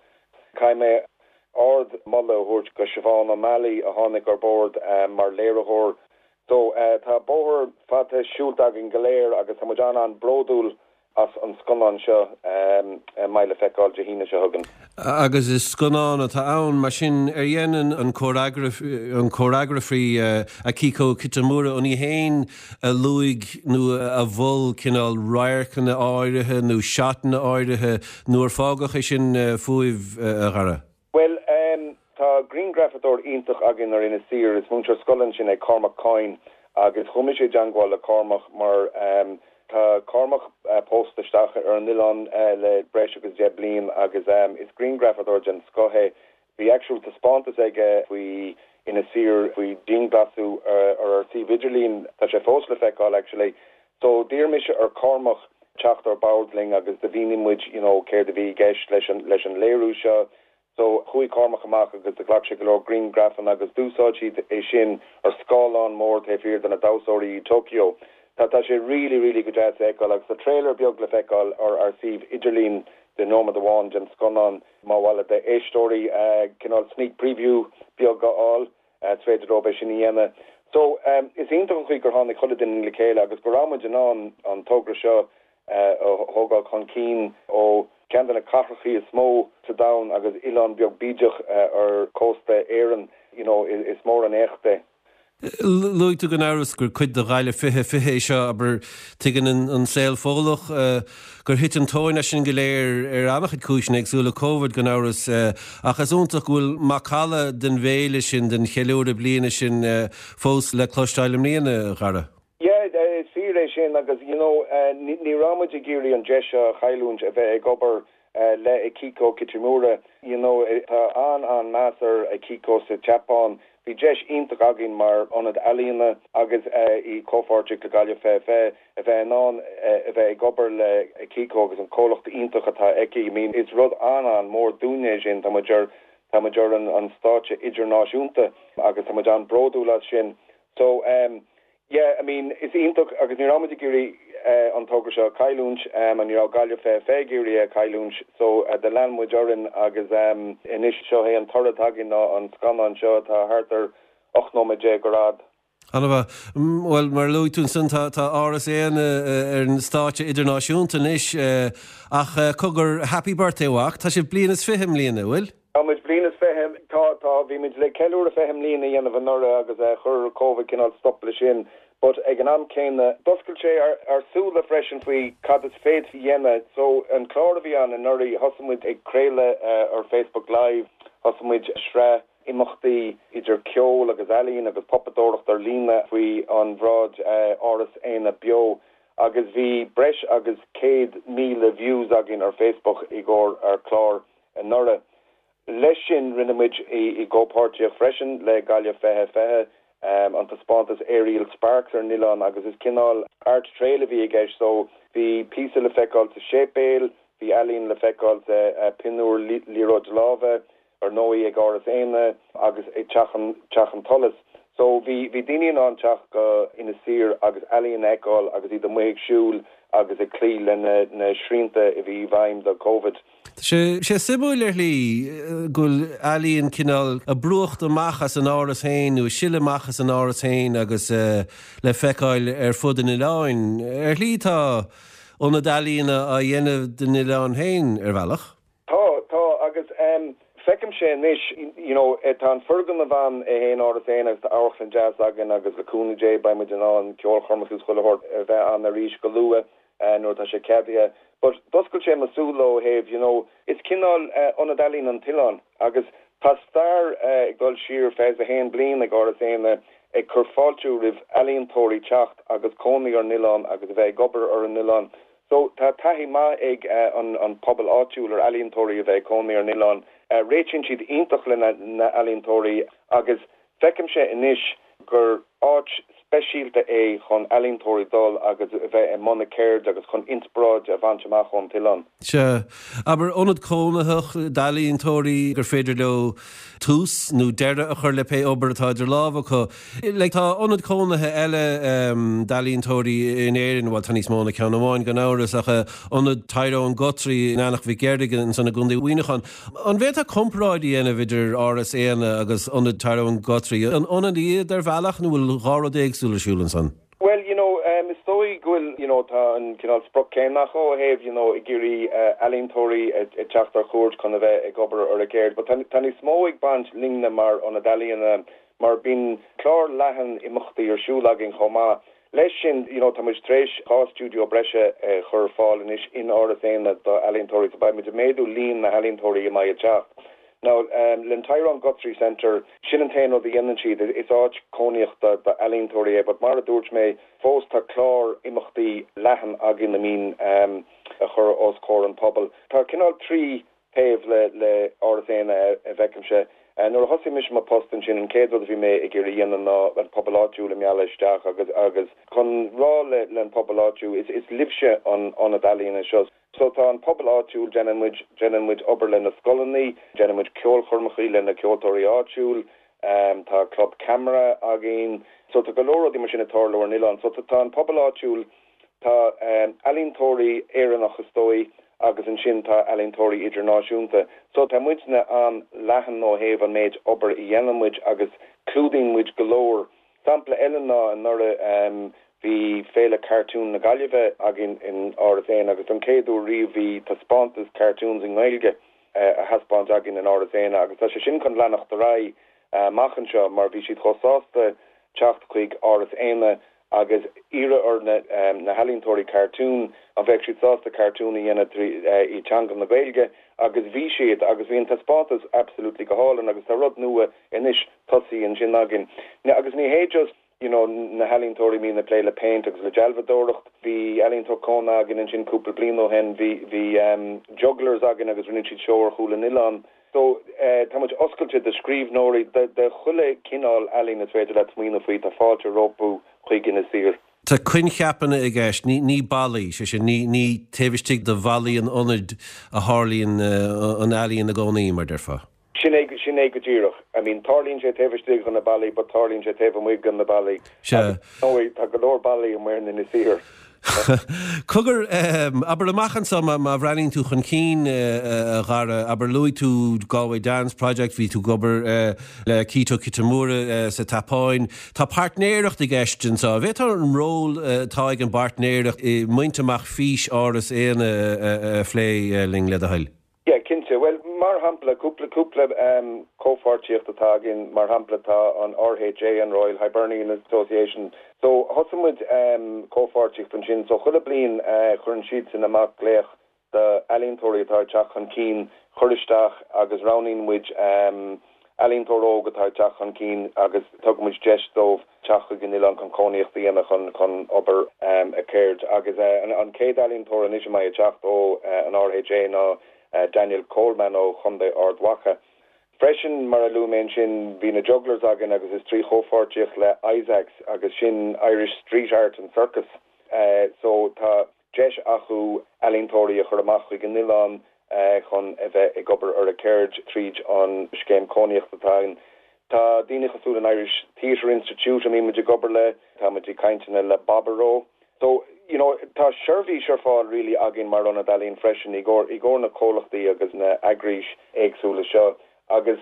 caithfidh mé ardmholadh a thabhairt go Siobhán O'Malley a tháinig ar bord um, mar léiritheoir. So uh, tá bóthar fada siúlta againn go léir agus tá muid an-an-bhródúil as an scannán seo um, mbeidh le feiceáil Dé hAoine seo chugainn. Agus is scannán atá ann mar sin ar dhein an an choreografaí uh, Akiko Kitamura an í féin a luaigh nó a mhol cineál radharcanna áirithe nó seatanna áirithe nó ar fágadh é sin uh, fúibh uh, a Dhara. Well um, tá grianghrafadóir iontach againn ar Inis Oírr is múinteoir scoile ansin é Cormac Coyne agus chuaigh mise i dteagmháil le Cormac mar um, tá Cormac uh, pósta isteach ar an oileán uh, le breis agus deich bliain agus um, is grianghrafadóir den scoth é bhí actual taispeántas aige faoi Inis Oírr faoi dianghlasáil ar ar ar suíomh idirlín tá sé fós le feiceáil actually so d'iarr mise ar Cormac teacht ar bord linn agus do mhínigh muid you know céard a bhí i gceist leis an leis an léiriú seo so chuaigh Cormac amach agus do ghlac sé go leor grianghrafanna agus d'úsáid siad é sin ar scáileán mór taobh thiar de na damhsóirí i Tokyo. Tá tá sé really really go deas feiceáil agus tá trailer beag le feiceáil ar ar suíomh idirlín de nóiméad amháin den scannán má bhfuil d'éisteoirí uh, cineál sneak preview beag a fháil uh, féidir leo sin a dhéanamh. So um, is iontach an chaoi gur tháinig chuile duine le chéile agus go raibh muid in ann an togra seo uh, thógáil chun cinn ó ceann de na cathracha is mó sa domhan agus oileán beag bídeach uh, ar cósta Éireann you know, is, is mór an éacht é. Luaigh tú gan amhras gur cuid de Ghaillimh fiche fiche seo aber tuigeann an, an saol fóillach uh, gur thit an tóin sin go léir ar an-chuid cúiseanna éagsúla Covid gan amhras uh, ach is iontach go bhfuil macalla den bhféile sin den cheiliúradh bliana sin uh, fós le cloisteáil i mbliana a Dhara. Yeah, is fíor é sin agus you know uh, ní raibh muid ag iarraidh an deis a chailliúint a bheith ag obair uh, le Akiko Kitamura you know tá an an meas ar Akiko sa tSeapáin bhí deis iontach againn mar ionad ealaíona agus uh, i comhpháirtíocht le Gaillimh Fiche Fiche a bheith in ann uh, a bheith ag obair le Akiko agus an comhlacht iontach atá aici I mean is rud an an mór dúinne sin tá muid ar tá muid ar an an stáitse idirnáisiúnta agus tá muid an-bhródúil as sin so um, Yeah, I mean is iontach agus ní raibh muid ag iarraidh uh, an togra seo chailliúint um, an ní raibh Gaillimh Fiche Fiche ag iarraidh chailliúint so uh, do lean muid orainn agus um, anois seo é an toradh againn ná an scannán seo atá thart ar ocht nóiméad déag ar fhad. Anna well mar luaigh tú ansin tá tá Áras Éanna ar an stáitse idirnáisiúnta anois ach cogar happy birthday mhac tá sé bliain is fiche i mbliana bhfuil? Tá muid bliain is fiche tá tá bhí muid le ceiliúradh fiche bliain a dhéanamh anuraidh agus chuir Covid cineál stop le sin, But ag an am céanna d'oscail sé ár ár súile freisin faoi cad is féidir a dhéanamh. So an clár a bhí ann anuraidh thosaigh muid ag craoladh uh, ar Facebook Live, thosaigh muid sraith imeachtaí idir ceol agus ealaín agus pupadóireacht ar líne faoi an bhráid uh, Áras Éanna Beo agus bhí breis agus céad míle views againn ar Facebook i gcomhair ar chlár anuraidh. Leis sin rinne muid i, i gcomhpháirtíocht freisin le Gaillimh fiche fiche um, an taispeántas Aerial Sparks ar an oileán agus is cineál art trail a bhí i gceist so bhí píosa le feiceáil sa séipéal, bhí ealaín le feiceáil sa uh, pinniúr liathróid láimhe, ar ndóigh ag Áras Éanna agus ag Teach an Teach an tSolais. So bhí bhí daoine in ann teacht go Inis Oírr agus ealaín a fheiceáil agus iad amuigh ag siúl agus ag cloí le na, na srianta a bhí i bhfeidhm do COVID. Sé sé suimiúil ar shlí go bhfuil ealaín cineál ag brúcht amach as an áras féin nó sileadh amach as an áras féin agus uh, le feiceáil ar fud an oileáin. Ar shlí tá ionad ealaíne á dhéanamh den oileán féin ar bhealach? Tá tá agus um, feicimse anois you know tá an foirgneamh ann é féin Áras Éanna agus tá amharclann deas againn agus le cúnamh Dé beidh muid in ann ceolchoirmeacha is chuile shórt a bheith ann arís go luath uh, nuair tá sé ceadaithe. But d'oscail sé mo shúile ó thaobh you know is cineál uh, ionad ealaíon an t-oileán agus tá stair uh, ag dul siar fiche a haon bliain ag Áras Éanna ag cur fáilte roimh ealaíontóirí teacht agus cónaí ar an oileán agus a bheith ag obair ar an oileán. So tá taithí maith ag uh, an, an pobal áitiúil ar ealaíontóirí a bheith cónaí ar an oileán. Uh, réitíonn siad iontach le na, na ealaíontóirí agus feicimse anois gur áit speisialta é chun ealaíontóirí dul agus a bheith i mbun a gceirde agus chun inspioráid a bhaint amach ón oileán. Sea abair ionad cónaitheach d'ealaíontóirí gur féidir leo tús nó deireadh a chur le pé obair atá idir lámha acu. Le tá ionad cónaithe eile um, d'ealaíontóirí in Éirinn bhfuil tá níos mó ná ceann amháin gan amhras ach ionad Tyrone Guthrie in Eanach Mhic Fhearraigh ansan i gContae Mhuineacháin. An bhféadfá comparáid a dhéanamh idir Áras Éanna agus ionad Tyrone Guthrie. An ionad iad ar bhealach nó bhfuil dhá rud éagsúil ar siúl ansan? Well, you know, um, is dóigh go bhfuil you know, tá an cineál sprioc céanna ó thaobh you know, ag iarraidh uh, ealaíontóirí ag teacht ar cuairt chun a bheith ag obair ar a gceird, but tá níos mó ag baint linne mar ionad ealaíona mar bíonn clár leathan imeachtaí ar siúl againn chomh maith. Leis sin you know, tá muid tar éis dhá stiúideo breise uh, chur ar fáil anois in Áras Éanna do ealaíontóirí so beidh muid ag méadú líon na healaíontóirí a mbeidh ag teacht. Now um, le Tyrone Guthrie Centre sin an t-aon rud a dhéanann siad is áit cónaíochta d'ealaíontóirí é, but mar a dúirt mé fós tá clár imeachtaí leathan againn a mbíonn um, a chur os comhair an pobal. Tá cineál trí thaobh le le Áras Éanna a bhfeicimse. Uh, nuair a thosaigh mise mo post ansin an chéad rud a bhí mé ag iarraidh a dhéanamh ná an pobal áitiúil a mhealladh isteach agus agus chun rá le le an pobal áitiúil is is libhse an ionad ealaíona seo. So tá an pobal áitiúil déanann muid déanann muid obair le na scoileanna, déanann muid ceolchoirmeacha le na ceoltóirí áitiúil, um, tá club ceamara againn, so tá go leor rudaí mar sin ag tarlú ar an oileán, so tá an pobal áitiúil tá um, ealaíontóirí Éireannach is dóigh agus ansin tá ealaíontóirí idirnáisiúnta. So tá muidne an-leathan ó thaobh an méid obair a dhéanann muid agus clúdaíonn muid go leor. Sampla eile ná anuraidh um, bhí féile cartoon na Gaillimhe againn in Áras Éanna agus an chéad uair riamh bhí taispeántas cartoons i nGaeilge uh, a thaispeáint againn in Áras Éanna agus tá sé sin chun leanacht ar aghaidh uh, amach anseo mar bhí siad chomh sásta teacht chuig Áras Éanna agus iarraidh ar na, um, na healaíontóirí cartoon an bheadh siad sásta cartoon a dhéanamh uh, i teanga na Gaeilge agus bhí siad agus bhí an taispeántas absolutely go hálainn agus tá rud nua anois tosaithe ansin againn. Agus ní hé just you know na healaíontóirí a mbíonn ag plé le paint agus le dealbhadóireacht bhí ealaíontóir cónaithe againn ansin cúpla bliain ó shin bhí bhí um, jugglers againn agus rinne siad seó ar chúl an oileáin. So uh, tá muid oscailte do scríbhneoirí de, de chuile cineál ealaín is féidir leat smaoineamh faoi tá fáilte rompu chuig Inis Oírr. Tá coincheapanna i gceist ní ní ballaí sé sin ní ní taobh istigh de bhallaí an ionaid a tharlaíonn uh, an ealaín i gcónaí mar a déarfá. Sin é sin é go díreach. I mean tarlaíonn sé taobh istigh de na ballaí, but tarlaíonn sé taobh amuigh de na ballaí. Se tá go leor ballaí amuigh in Inis Oírr. Cogar um, abair amach anseo má má bhreathnaíonn tú chun cinn uh, a Dhara abair luaigh tú Galway Dance Project bhí tú ag obair uh, le Keito Kitamura uh, sa tSeapáin. Tá páirtnéireacht i gceist anseo. Bhféadfá an ról atá ag an bpáirtnéireacht i mbaint amach fís Áras Éanna uh, uh, a phlé uh, linn le do thoil. Yeah, cinnte. Well, mar shampla cúpla cúpla um, comhpháirtíocht atá againn mar shampla tá an RHA an Royal Hibernian Association. So thosaigh muid um, comhpháirtíocht ansin so chuile bliain uh, chuireann siad sin amach glaoch d'ealaíontóirí atá ag teacht chun cinn cur isteach agus roghnaíonn muid um, ealaíontóir óg atá ag teacht chun cinn agus tugann muid deis dóibh teacht chuig an oileán chun cónaíocht a dhéanamh chun chun obair um, a cheird agus uh, an, an chéad ealaíontóir anois a mbeidh ag teacht ó uh, an RHA ná uh, Daniel Coleman ó Chontae Ard Mhacha. Freisin mar a luaigh mé sin bhí na jugglers againn agus is trí chomhpháirtíocht le Isaacs agus sin Irish Street Art and Circus. Uh, so tá deis acu ealaíontóirí a chur amach chuig an oileán uh, chun a bheith ag obair ar a ceird tríd an scéim cónaíochta atá ann. Tá daoine cosúil an Irish Theatre Institute a mbímid ag obair le tá muid ag cainteanna le Baboró. So you know, tá seirbhís ar fáil really againn mar ionad ealaíon freisin i gcomhair i gcomhair na comhlachtaí agus na heagrais éagsúla seo agus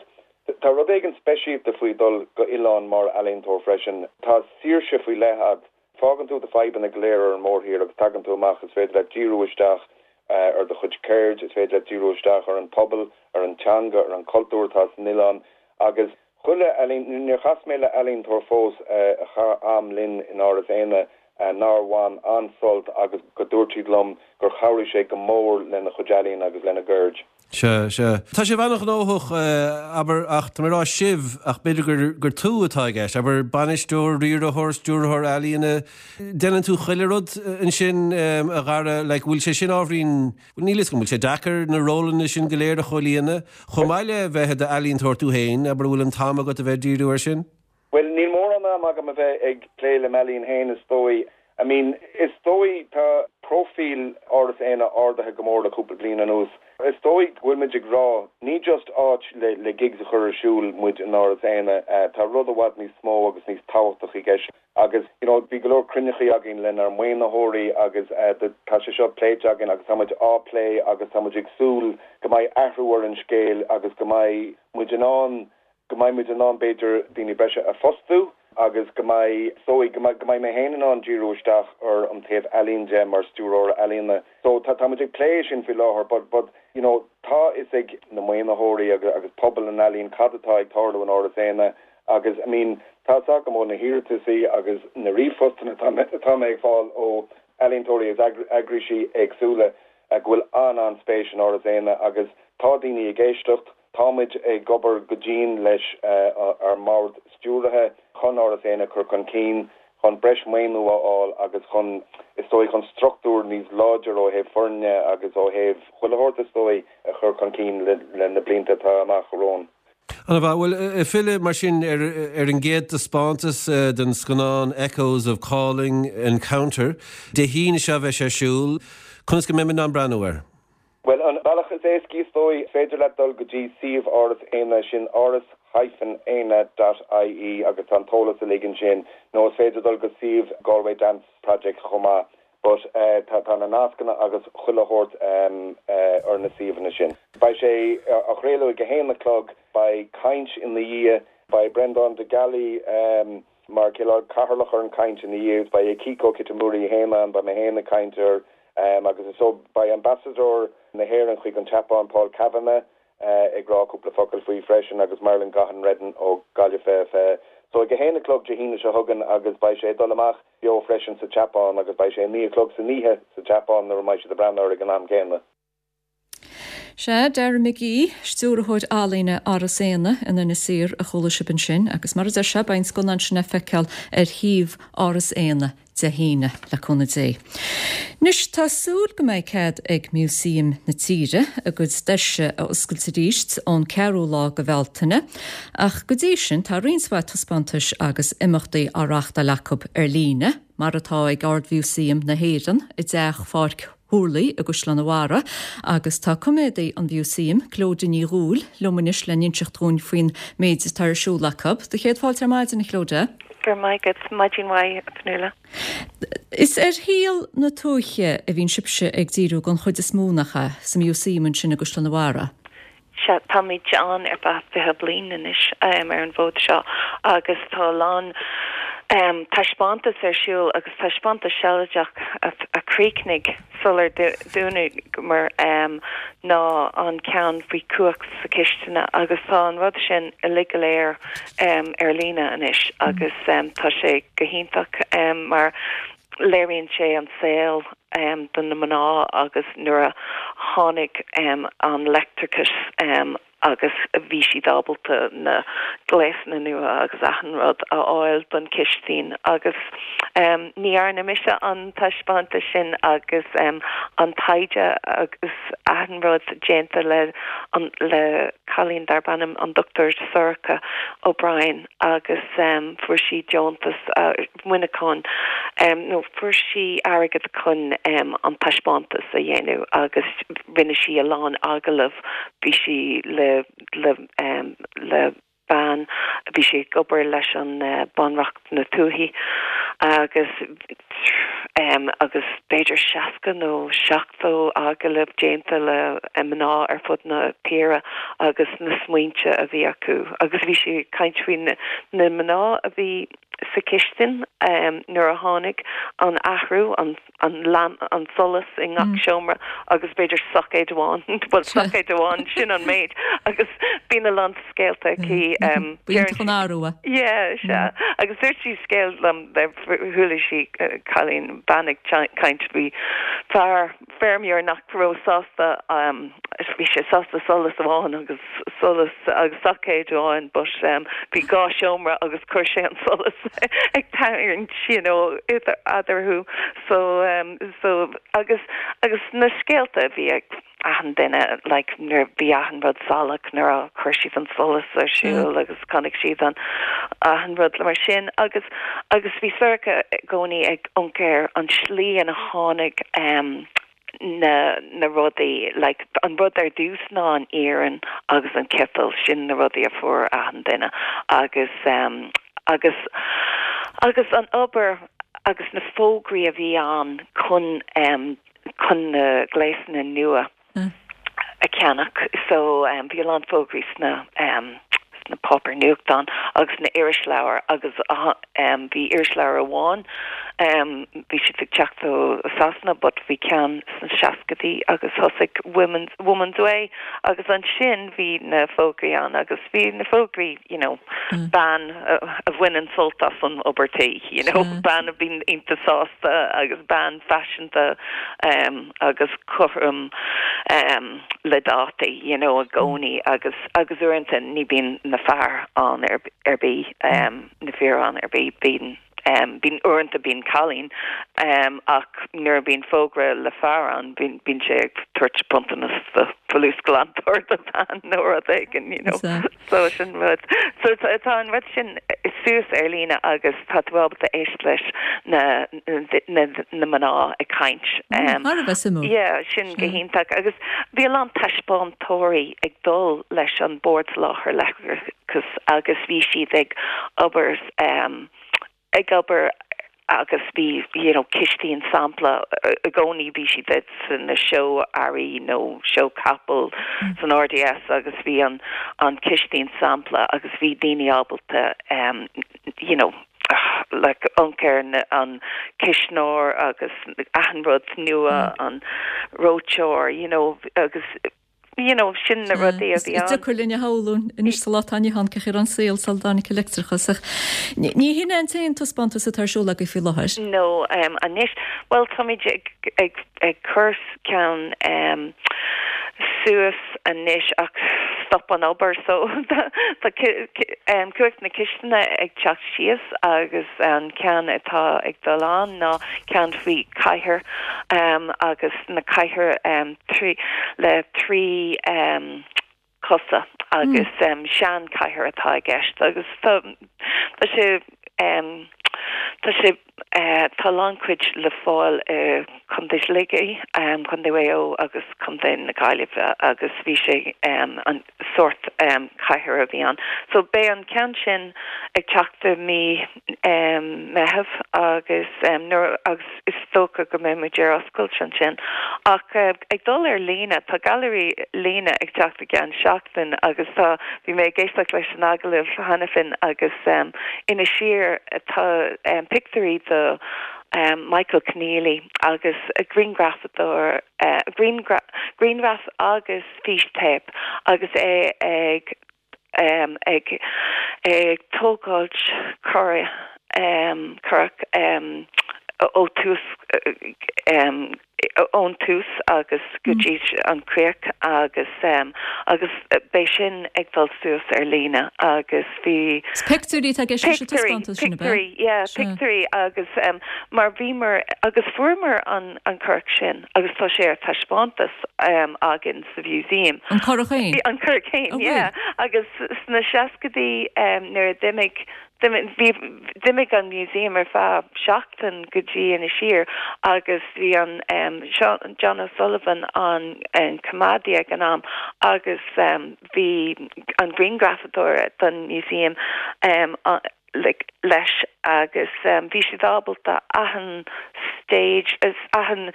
tá rud éigin speisialta faoi dul go oileán mar ealaíontóir freisin tá saoirse faoi leith agat fágann tú do fhadhbanna go léir ar an mórthír agus tagann tú amach is féidir le díriú isteach uh, ar do chuid ceird is féidir le díriú isteach ar an pobal ar an teanga ar an cultúr atá san oileán agus chuile níor chas mé le ealaíontóir fós uh, a chaith am linn in Áras Éanna uh, nár bhain an-sult agus go dúirt siad liom gur chabhraigh sé go mór lena chuid ealaíon agus lena gceird. Se se. Tá sé an-ghnóthach abair ach tá mé rá sibh ach b'fhéidir gur gur tú atá i gceist, abair bainisteoir riarthóir stiúrthóir ealaíne déanann tú chuile rud ansin a Dhara le bhfuil sé sin ábhairín níl go bhfuil sé deacair na rólanna sin go léir a chomhlíonadh, Chomh maith le bheith i d'ealaíontóir tú féin, abair bhfuil an t-am agat a bheith díriú ar sin? Well níl mórán am agam a bheith ag plé le m'ealaín féin is dóigh. I mean is dóigh tá profíl Áras Éanna ardaithe go mór le cúpla bliain anuas. Is dóigh go bhfuil muid ag rá ní just áit le, le gigs a chur ar siúl muid in Áras Éanna uh, tá rud i bhfad níos mó agus níos tábhachtaí i gceist. Agus you know, bhí go leor cruinnithe againn lenár maoinitheoirí agus uh, tá sé seo pléite againn agus táimid á plé agus táimid ag súil go mbeidh athrú ar an scéal agus go mbeidh muid in ann go mbeidh muid in ann b'fhéidir daoine breise a fhostú agus go mbeidh so go mbeidh mé féin in ann díriú isteach ar an taobh ealaíon de mar stiúrthóir ealaíne. So tá tá ag plé sin faoi láthair, but but you know tá a fhios ag na maoinitheoirí agus agus pobal an ealaíon cad atá ag tarlú in Áras Éanna agus I mean tá go ó na hiarrataisí agus na ríomhphostanna atá mé ag fáil ó ealaíontóirí agus eagraisí éagsúla go bhfuil an an-spéis in Áras Éanna agus tá daoine ag éisteacht Táimid ag obair go dian leis uh, ar mbord stiúrtha chun Áras Éanna chur chun cinn chun breis maoiniú a fháil agus chun is dóigh chun struchtúr níos láidir ó thaobh foirne agus ó thaobh chuile shórt is dóigh a chur chun cinn le, le na blianta atá amach romhainn. An bhfuil filleadh mar sin ar, ar an gcéad taispeántas uh, den scannán Echoes of Calling Encounter, Dé hAoine seo bheidh ar siúl, conas go mbeidh an breathnú air. Well an bealach is éasca is dóigh féidir le dul go dtí suíomh Áras Éanna sin áras hyphen éanna.ie agus tá an t-eolas uilig ansin nó is féidir dul go suíomh Galway Dance Project chomh maith but uh, tá tá na nascanna agus chuile shórt um, uh, ar na suíomhanna sin. Beidh sé á chraoladh ag a haon a chlog beidh caint ina dhiaidh beidh Brendan de Gallaí um, mar cineál cathaoirleach ar an caint ina dhiaidh beidh Akiko Kitamura féin ann beidh mé féin ag caint air um, agus so beidh ambassador na hÉireann chuig an tSeapáin Paul Kavanagh uh, ag rá cúpla focal faoi freisin agus Marilyn Gahan Redden ó Gaillimh fiche fiche. So ag a haon a chlog Dé hAoine seo chugainn agus beidh sé dul amach beo freisin sa tSeapáin agus beidh sé naoi a chlog san oíche sa tSeapáin nuair a mbeidh siad ag breathnú air ag an am céanna. Sé Dara McGee, stiúrthóir ealaíne Áras Éanna in Inis Oírr a chuala sibh ansin, agus mar a deir sé beidh an scannán sin le feiceáil ar shuíomh Áras Éanna Dé hAoine le cúnamh Dé. Anois tá súil go mbeidh cead ag Músaem na Tíre a gcuid doirse a oscailt arís ón ceathrú lá de Bhealtaine, ach go dtí sin tá roinnt mhaith taispeántais agus imeachtaí á reáchtáil acu ar líne, mar atá ag Ard-Mhúsaem na hÉireann i dTeach Pháirc Thurlaigh i gCaisleán an Bharraigh, agus tá coimeádaí an Mhúsaeim Clodagh Ní Dhúill liom anois le n-inseacht dúinn faoin méid atá ar siúl acu. Do chéad fáilte ar maidin a Chlodagh? Gur maith agat maidin mhaith Fionnuala. Is ar shaol na tuaithe a bhíonn sibhse ag díriú den chuid is mó nach ea sa Mhúsaem ansin i gCaisleán an Bharraigh. Se táimid ann ar feadh fiche bliain anois um, ar an bhfód seo agus tá lán um, taispeántas ar siúl agus taispeántas sealadach a, a chríochnaigh sular dúnamar um, ná an ceann faoi cumhacht sa chistin agus tá an rud sin uilig go léir um, ar líne anois agus um, tá sé go hiontach um, mar léiríonn sé an saol um, do na mná agus nuair a tháinig um, an leictreachas um, agus bhí siad ábalta na gléasanna nua agus achan rud a fháil don chistin agus um, ní dhearna mise an taispeántas sin agus um, an taighde agus achan rud déanta le an, le cailín darb ainm an Dr. Sorcha O'Brien agus um, fuair sí deontas uh, Muineachán um, nó fuair sí airgead chun um, an taispeántas a dhéanamh agus rinne sí a lán agallamh bhí sí le le um, le bean bhí sí ag obair leis an uh, Bunreacht na Tuaithe agus um, agus b'fhéidir seasca nó seachtó agallamh déanta le mná ar fud na tíre agus na smaointe a bhí acu agus bhí sí ag caint faoi na, na mná a bhí sa chistin um, nuair a tháinig an athrú an an lam an solas i ngach mm. seomra agus b'fhéidir soicéad amháin well soicéad amháin sin an méid agus bíonn a lán scéalta aici um, arúa. Yeah, sea agus dúirt sí scéal liom chuala sí uh, cailín bean ag caint bhí fear feirmeoir nach raibh sásta um, bhí sé sásta solas amháin agus solas agus soicéad amháin but um, bhí dhá seomra agus chuir sé an solas ag tarraingt you know eatarthu so um, so agus agus na scéalta bhí ag achan duine like nuair bhí achan rud salach nuair a chuir siad an solas ar siúl mm. agus chonaic siad an achan rud le mar sin agus agus bhí Sorcha i gcónaí ag amharc ar an slí ina tháinig um, na na rudaí like an rud ar dtús ná an iarann agus an citeal sin na rudaí a fuair achan duine agus um, agus agus an obair agus na fógraí a bhí ann chun um, chun na gléasanna nua mm. a cheannach so um, bhí an fógraí sna um, na páipéir nuachtán agus na irisleabhair agus uh, um, bhí irisleabhar amháin um, bhí siad ag teacht ó Sasana but bhí ceann sna seascaidí agus thosaigh Women's Woman's Way agus ansin bhí na fógraí ann agus bhí na fógraí you know mm. bean uh, a bhaineann sult as an obair tí you know mm. bean a bhíonn iontach sásta agus bean faiseanta um, agus cothrom um, le dátaí you know i gcónaí agus agus uaireanta ní bhíonn na fear ann ar ar bith um, na fir ann ar bith bíonn um, bíonn uaireanta bíonn cailín um, ach nuair bíonn fógra le fear ann bíonn bíonn sé ag tabhairt bronntanas do folúsghlantóir do bhean nó rud éigin you know so sin rud so tá an rud sin suas ar líne agus tá tú ábalta éisteacht leis na na na mná ag caint um, yeah, sin go hiontach agus bhí a lán taispeántóirí ag dul leis an Bord Soláthair Leictreachais agus bhí siad ag obair um, ag obair agus bhí you know cistín sampla i gcónaí bhí siad san na seó earraí nó seó capall mm. san RDS agus bhí an an cistín sampla agus bhí daoine ábalta um, you know like amharc ar an cisneoir agus achan rud nua mm. an reoiteoir you know agus you know sin na rudaí a bhí ann. Deacair linn a shamhlú anois sa lá atá inniu ann cén chaoi an saol sula dtáinig leictreachas. Ní hin an t-aon taispeántas atá ar siúl agaibh faoi láthair. No um, anois well táimid ag ag ag cur ceann um, suas anois ach stop an obair so tá um, cumhacht na cistine ag teacht síos agus an ceann atá ag dul ann ná ceann faoi cathaoir um, agus na cathaoir um, trí le trí um, cosa agus mm. um, sean cathaoir atá i gceist agus tá tá sé um, Tá sé uh, tá an-chuid le fáil uh, Contae Shligigh um, Contae Mhaigh Eo agus Contae na Gaillimhe agus bhí sé um, an sórt um, cathaoir a bhí ann. So beidh an ceann sin ag teacht mí um, Meitheamh agus um, nuair agus is dócha go mbeidh muid ar oscailt ansin. Ach uh, ag dul ar líne tá gailearaí líne ag teacht i gceann seachtain agus tá bhí mé ag éisteacht leis an agallamh cheana féin agus um, ina siar tá um, pictiúirí de um, Michael Keneally agus a grianghrafadóir uh, grianghraf agus fístéip agus é ag um, ag ag tógáilt curach um, curach um, ó tús um, ón tús agus go dtí an críoch agus um, agus beidh sin ag dul suas ar líne agus bhí Pictiúirí tá Pictiúirí yeah pictiúirí agus um, mar bhíomar agus fuaireamar an an curach sin agus tá sé ar taispeántas um, againn sa museum. An curach féin? An curach féin yeah agus sna seascaidí um, nuair a d'imigh d'imigh an museum ar feadh seachtain go dtí Inis Oírr agus bhí an um, John O'Sullivan an an coimeádaí ag an am agus um, bhí an grianghrafadóir don museum um, like, leis agus um, bhí siad ábalta achan stage is achan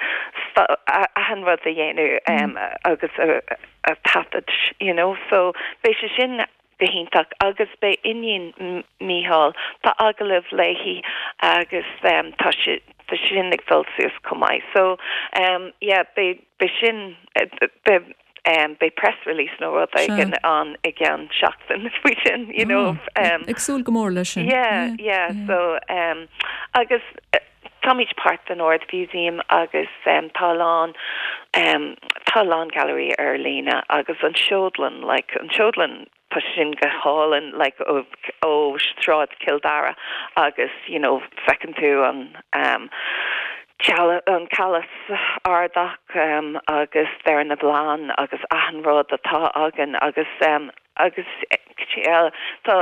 achan rud a dhéanamh um, mm. agus a, a taifead you know so beidh sé sin go hiontach agus beidh iníon Mícheál tá agallamh léi agus um, tá sé tá sin ag dul suas chomh maith so um, yeah, beidh beidh sin beidh um, beidh press release nó rud éigin an i gceann seachtain faoi sin you know um, Ag súil go mór leis sin yeah, yeah, yeah. so um, agus uh, táimid páirt den Ard Museum agus um, tá lán um, tá lán gallery ar líne agus an seodlann like an seodlann tá sin go hálainn like ó ó Sráid Chill Dara agus you know feiceann tú an um, an Calas Ardach um, agus der na blan agus achan rud atá againn agus um, agus tá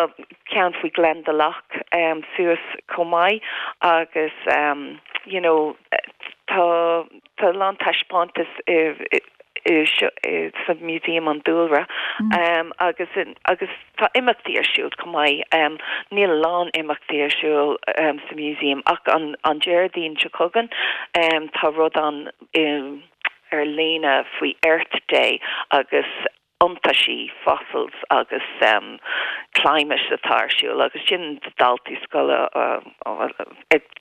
ceann faoi Glendalough um, suas chomh maith agus um, you know tá tá lán taispeántas sa museum an dúlra mm. um, agus agus tá imeachtaí ar siúl chomh maith um, níl lán imeachtaí ar siúl um, sa museum ach an an Déardaoin seo chugainn um, tá rud an um, ar líne faoi Earth Day agus iontaisí fossils agus um, climate atá ar siúl agus sin daltaí scoile uh, uh,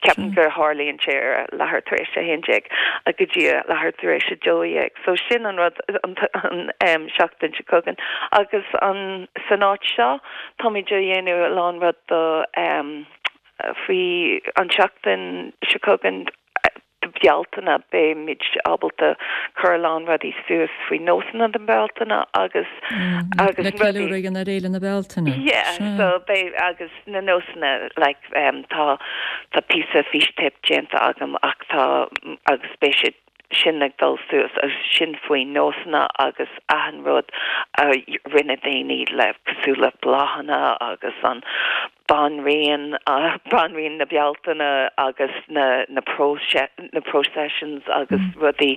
ceapaim gur tharlaíonn sé ar leathuair tar éis a haon déag a go dtí leathuair tar éis a dó dhéag. So sin an rud an, an um, seachtain seo chugainn agus an san áit seo táimid ag déanamh lán rud do um, faoi an seachtain seo chugainn Bealtaine beimid ábalta chur lán rudaí suas faoi nósanna den Bealtaine agus mm, agus rudaí na Féile na Bealtaine. Yeah, so beidh agus na nósanna like um, tá tá píosa fístéip déanta agam ach tá agus beidh sé sin ag dul suas agus sin faoi nósanna agus achan rud a rinne daoine le cosúil le bláthanna agus an banríon uh, banríon na Bealtaine agus na na proce na processions agus mm. rudaí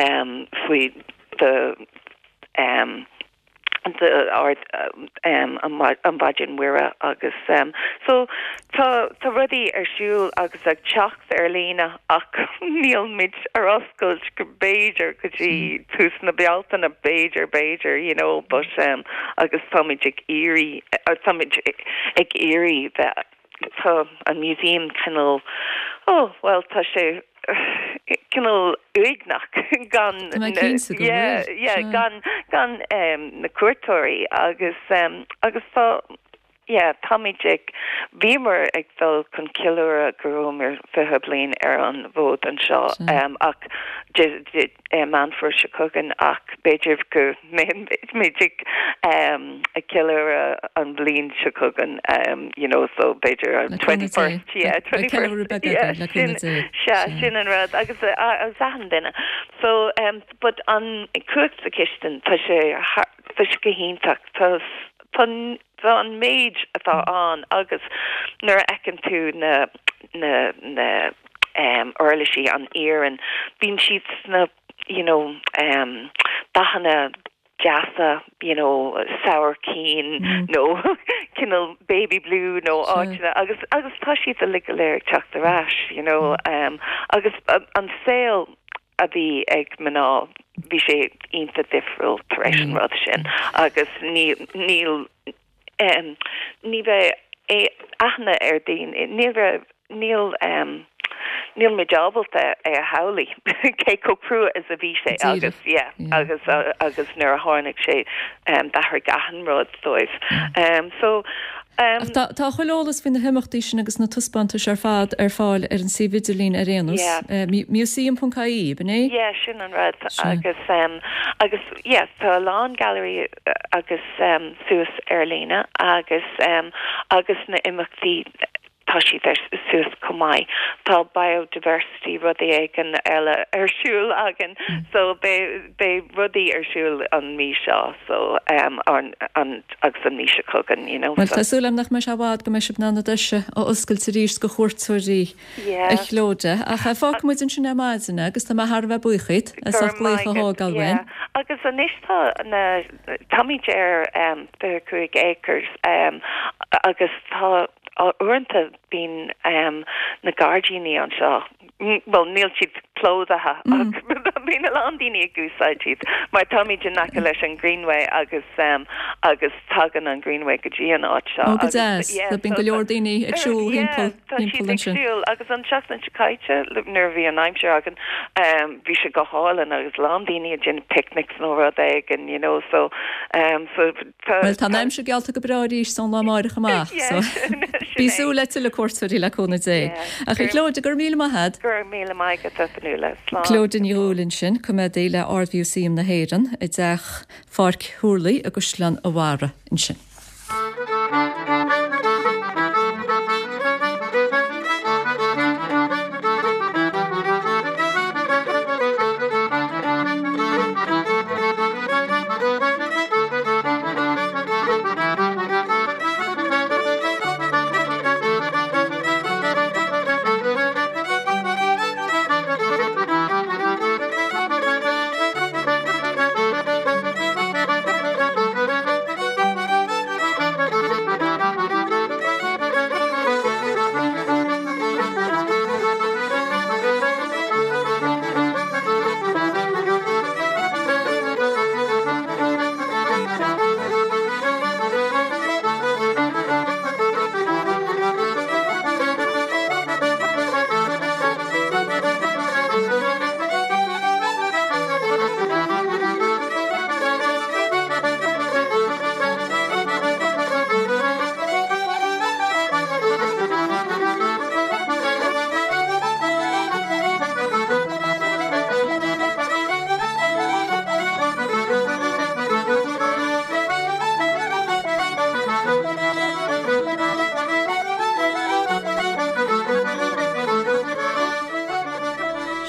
um, faoi the um, the art um, an Mhaighdean Mhuire agus um, so tá tá rudaí ar siúl agus ag teacht ar líne ach níl muid ar oscailt go b'fhéidir go dtí tús na Bealtaine b'fhéidir b'fhéidir you know but um, agus táimid ag iarraidh táimid ag iarraidh bheith tá an museum cineál oh well tá sé cineál uaigneach gan yeah, yeah, gan gan um, na cuairteoirí agus um, agus tá yeah, táimid ag bhíomar ag dul chun ceiliúradh go rabhamar fiche bliain ar an bhfód anseo um, ach Meán Fómhair seo chugainn ach b'fhéidir go mbeimid ag um, ag ceiliúradh an bhliain seo chugainn um, you know so b'fhéidir twenty first yeah twenty first yeah, sin sin an rud agus uh, agus achan duine so um, but an cumhacht sa chistin tá sé tá sé go hiontach tá tá tá an méid atá ann agus nuair a fheiceann tú na na na um, uirlisí an iarann bíonn siad na you know um, dathanna deasa you know sabhaircín mm. nó cineál baby blue nó áiteanna agus agus tá siad uilig go léir teacht ar ais you know um, agus uh, an saol a bhí ag mná bhí sé iontach difriúil tar éis an rud sin agus ní níl um, ní bheith aithne ar daoine níl níl um, níl muid ábalta é a shamhlú cé chomh crua is a bhí sé agus yeah, agus uh, agus nuair a tháinig sé um, d'athraigh achan rud dóibh. Um, so um, Tá tá chuile eolas faoi na himeachtaí sin agus na taispeántais ar fad ar fáil ar an suíomh idirlín ar aon nós. Yeah. Eh, mu- Museum.ie, b'in é? Yeah, sin an rud Sin. agus um, agus yes, tá a lán gallery uh, agus um, suas ar líne agus um, agus na imeachtaí tá siad ar suas chomh maith. Tá biodiversity rudaí éigin eile ar siúl againn so beidh beidh rudaí ar siúl an mí seo so um, an, an, agus an mí seo chugainn you know Well so, tá súil agam nach mbeidh sé i bhfad go mbeidh sibh in ann na doirse a oscailt arís do chuairteoirí yeah. a Chlóide ach fágfaidh muid ansin ar maidin agus tá mé thar a bheith buíoch díot as Go ucht glaoch a maith agat, thógáil uainn. yeah. Agus anois tá na táimid ar um, fiche cúig acres um, agus tá uaireanta bíonn um, na gairdíní anseo. Mm, Well níl siad plódaithe mm. bíonn a lán daoine ag úsáid iad mar táimid in aice leis an Greenway agus um, agus tagann an Greenway go dtí an áit seo. Ó go Agus- deas, yeah, bíonn so go leor daoine ag siúl Yeah, timpeall tá siad timpeall ag ansin. siúl agus an seachtain seo caite nuair a bhí an aimsir againn um, bhí sé go hálainn agus lán daoine ag déanamh picnics nó rud éigin you know so um, so tá Well tá an aimsir geallta go breá arís ón lá amárach amach Yeah, so sin Bí é. súil le tuilleadh cuairteoirí le cúnamh Dé. Yeah. Ach Clóide gur míle maith agat Gur míle maith agat a Fionnuala slán. Clóide Ní Dhúill sin coimeádaí le Ard-Mhúsaem na hÉireann i dteach Pháirc Thurlaigh i gCaisleán an Bharraigh ansin.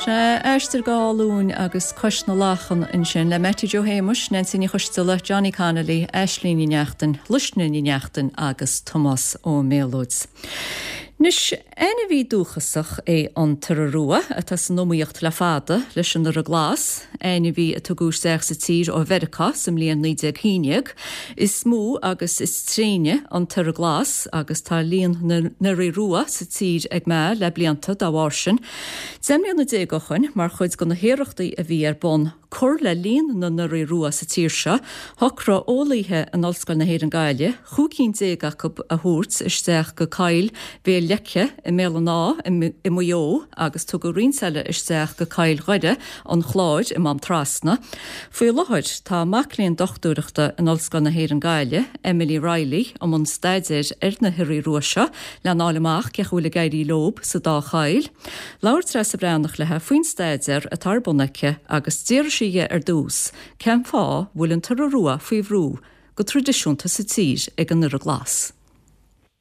Sé Aistear Dhá Luain agus Cois na Lachan ansin le Mattie Joe Shéamuis, Nancy Ní Choisteala, Johnny Connolly, Aisling Ní Neachtain, Luisne Ní Neachtain agus Tomás Ó Méalóid. Anois ainmhí dúchasach é an t-iora rua atá san iomaíocht le fada leis an iora glas, ainmhí a tugadh isteach sa tír ó Mheiriceá sa mbliain naoi déag haon déag, Is mó agus is tréine an t-iora glas agus tá líon na n-ioraí rua sa tír ag meath le blianta dá bharr sin. Deich mbliana déag ó shin mar chuid de na hiarrachtaí a bhí ar bun cur le líon na n-ioraí rua sa tír seo, shocraigh eolaithe in Ollscoil na hÉireann Gaillimh, chúig cinn déag acu a thabhairt isteach go Coill Bhéal Leice i mBéal an Átha i Maigh Eo agus tugadh roinnt eile isteach go Coill Dhoire an Chláir i Mám Trasna. Faoi láthair tá mac léinn dochtúireachta in Ollscoil na hÉireann Gaillimh, Emily Reilly, i mbun staidéir ar na hioraí rua seo lena fháil amach cén chaoi a bhfuil ag éirí leo sa dá choill. Labhair Treasa Bhreathnach léi faoin staidéar atá ar bun aici agus d'iarr sí di ar dtús, cén fáth a bhfuil an t-iora rua faoi bhrú go traidisiúnta sa tír ag an iora glas.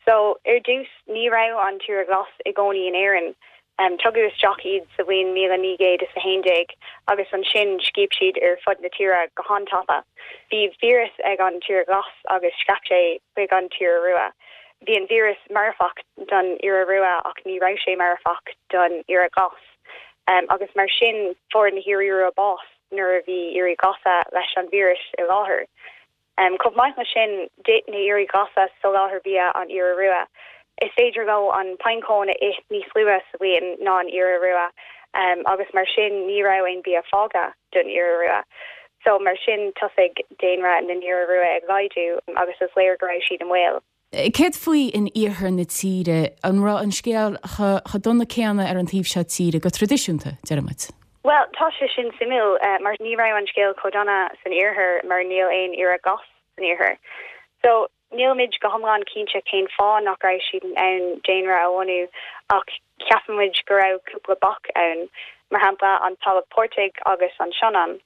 So ar dtús ní raibh an t-iora glas i gcónaí in Éirinn. Um, tugadh isteach iad sa bhliain míle naoi gcéad is a haon déag agus ansin scaip siad ar fud na tíre go han-tapa. Bhí víreas ag an t-iora glas agus scaip sé chuig an t-iora rua. Bhí an víreas marfach don iora rua ach ní raibh sé marfach don iora glas. Um, agus mar sin fuair na hioraí rua bás nuair a bhí ioraí glasa leis an víreas i láthair. Um, Chomh maith leis sin d'ith na hioraí glasa soláthar bia an iora rua. Is féidir leo an pinecone a ith níos luaithe sa bhliain ná an iora rua um, agus mar sin ní raibh aon bia fágtha don iora rua. So mar sin thosaigh daonra na n-iora rua ag laghdú agus is léir go raibh siad i mbaol. Céard faoi in iarthar na tíre an raibh an scéal chomh dona céanna ar an taobh seo tíre go traidisiúnta, deirimid? Well, tá sé sin suimiúil uh, mar ní raibh an scéal chomh dona san iarthar mar níl aon iora glas san iarthar. So nílimid go hiomlán cinnte cén fáth nach raibh siad in ann daonra a bhunú ach ceapaimid go raibh cúpla bac ann, mar shampla an talamh portaigh agus an Sionainn.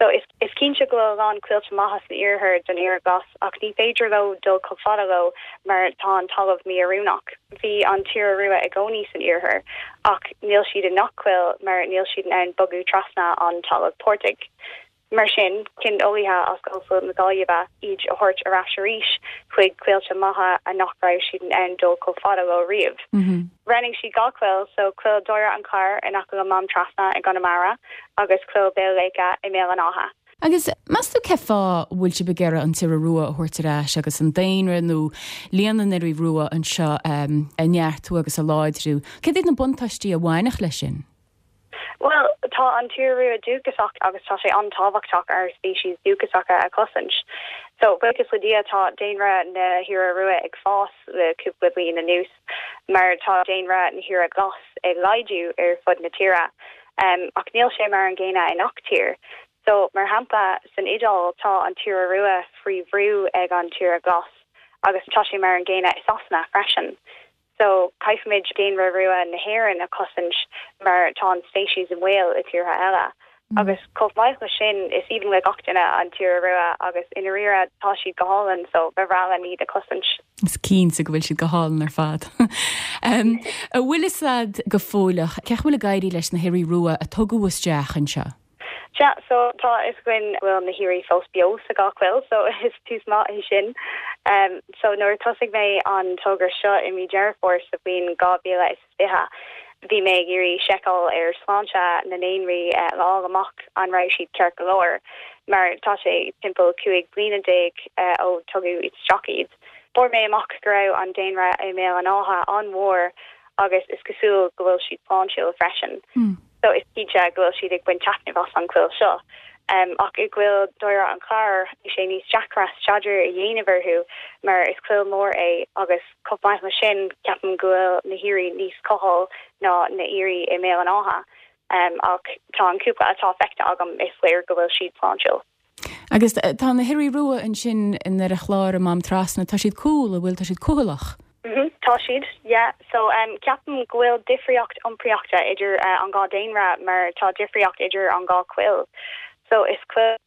So is, is cinnte go bhfuil a lán coillte maithe san iarthar don iora glas ach ní féidir leo dul chomh fada leo mar tá an talamh mí-oiriúnach. Bhí an t-iora rua i gcónaí san iarthar ach níl siad i ngach coill mar níl siad in ann bogadh trasna an talamh portaigh. Mar sin, chinn eolaithe as Ollscoil na Gaillimhe iad a thabhairt ar ais arís chuig coillte maithe a nach raibh siad in ann dul chomh fada leo riamh. Mm -hmm. Roghnaigh siad dhá choill so coill Doire an Chláir in aice le Mám Trasna i gConamara agus coill Béal Léice i mBéal an Átha. Agus meas tú cén fáth bhfuil sibh ag iarraidh an t-iora rua a thabhairt ar ais agus an daonra nó líon na n-ioraí rua anseo um, a neartú agus a láidriú. Cad iad na buntáistí a bhainfeadh leis sin? Well, tá an t-iora rua dúchasach agus tá sé an-tábhachtach ár speicis dúchasacha a chosaint. So buíochas le Dia tá daonra na hiora rua ag fás le cúpla bliain anuas, mar tá daonra na hiora glas ag laghdú ar fud na tíre. Um, ach níl sé mar an gcéanna i ngach tír. So mar shampla san Iodáil tá an t-iora rua faoi bhrú ag an t-iora glas agus tá sé mar an gcéanna i Sasana freisin. So caithfimid daonra rua na hÉireann a chosaint mar tá an speiceas i mbaol i tíortha eile. Mm. Agus chomh maith leis sin is aoibhinn le gach duine an t-iora rua agus i ndáiríre tá siad go hálainn so ba bhreá linn iad a chosaint. Is cinnte go bhfuil siad go hálainn ar fad. um, an bhfuil fhios a'd go fóilleach, cén chaoi a bhfuil ag éirí leis na hioraí rua a tugadh isteach anseo? Ja, so tá fhios againn bhfuil na hioraí fós beo sa dhá choill, so is tús maith é sin. Um, so nuair tosaigh mé an togra seo i mí Deireadh Fómhair sa bhliain dhá mhíle is fiche. Bhí mé ag iarraidh seiceáil ar sláinte na ndaonraí uh, le fáil amach an raibh siad ceart go leor, mar tá sé timpeall cúig bliana déag uh, ó tugadh isteach iad. Fuair mé amach go raibh an daonra i mBéal an Átha an-mhór agus is cosúil go bhfuil siad sláintiúil freisin. Mm. So is cinnte go bhfuil siad ag baint taitneamh as an choill seo. Um, ach i gcoill Doire an Chláir bhí sé níos deacra staidéar a dhéanamh orthu mar is coill mór é agus chomh maith leis sin ceapaim go bhfuil na hioraí níos cuthail ná na hioraí i mBéal an Átha. Um, ach tá an cúpla atá feicthe agam is léir go bhfuil siad sláintiúil. Agus tá na hioraí rua ansin i nDoire an Chláir i Mám Trasna, tá siad cool a bhfuil tá siad cúthalach. Mm -hmm, tá siad yeah so um ceapaim go bhfuil difríocht iompraíochta idir uh, an dhá daonra mar tá difríocht idir an dhá choill. So is coill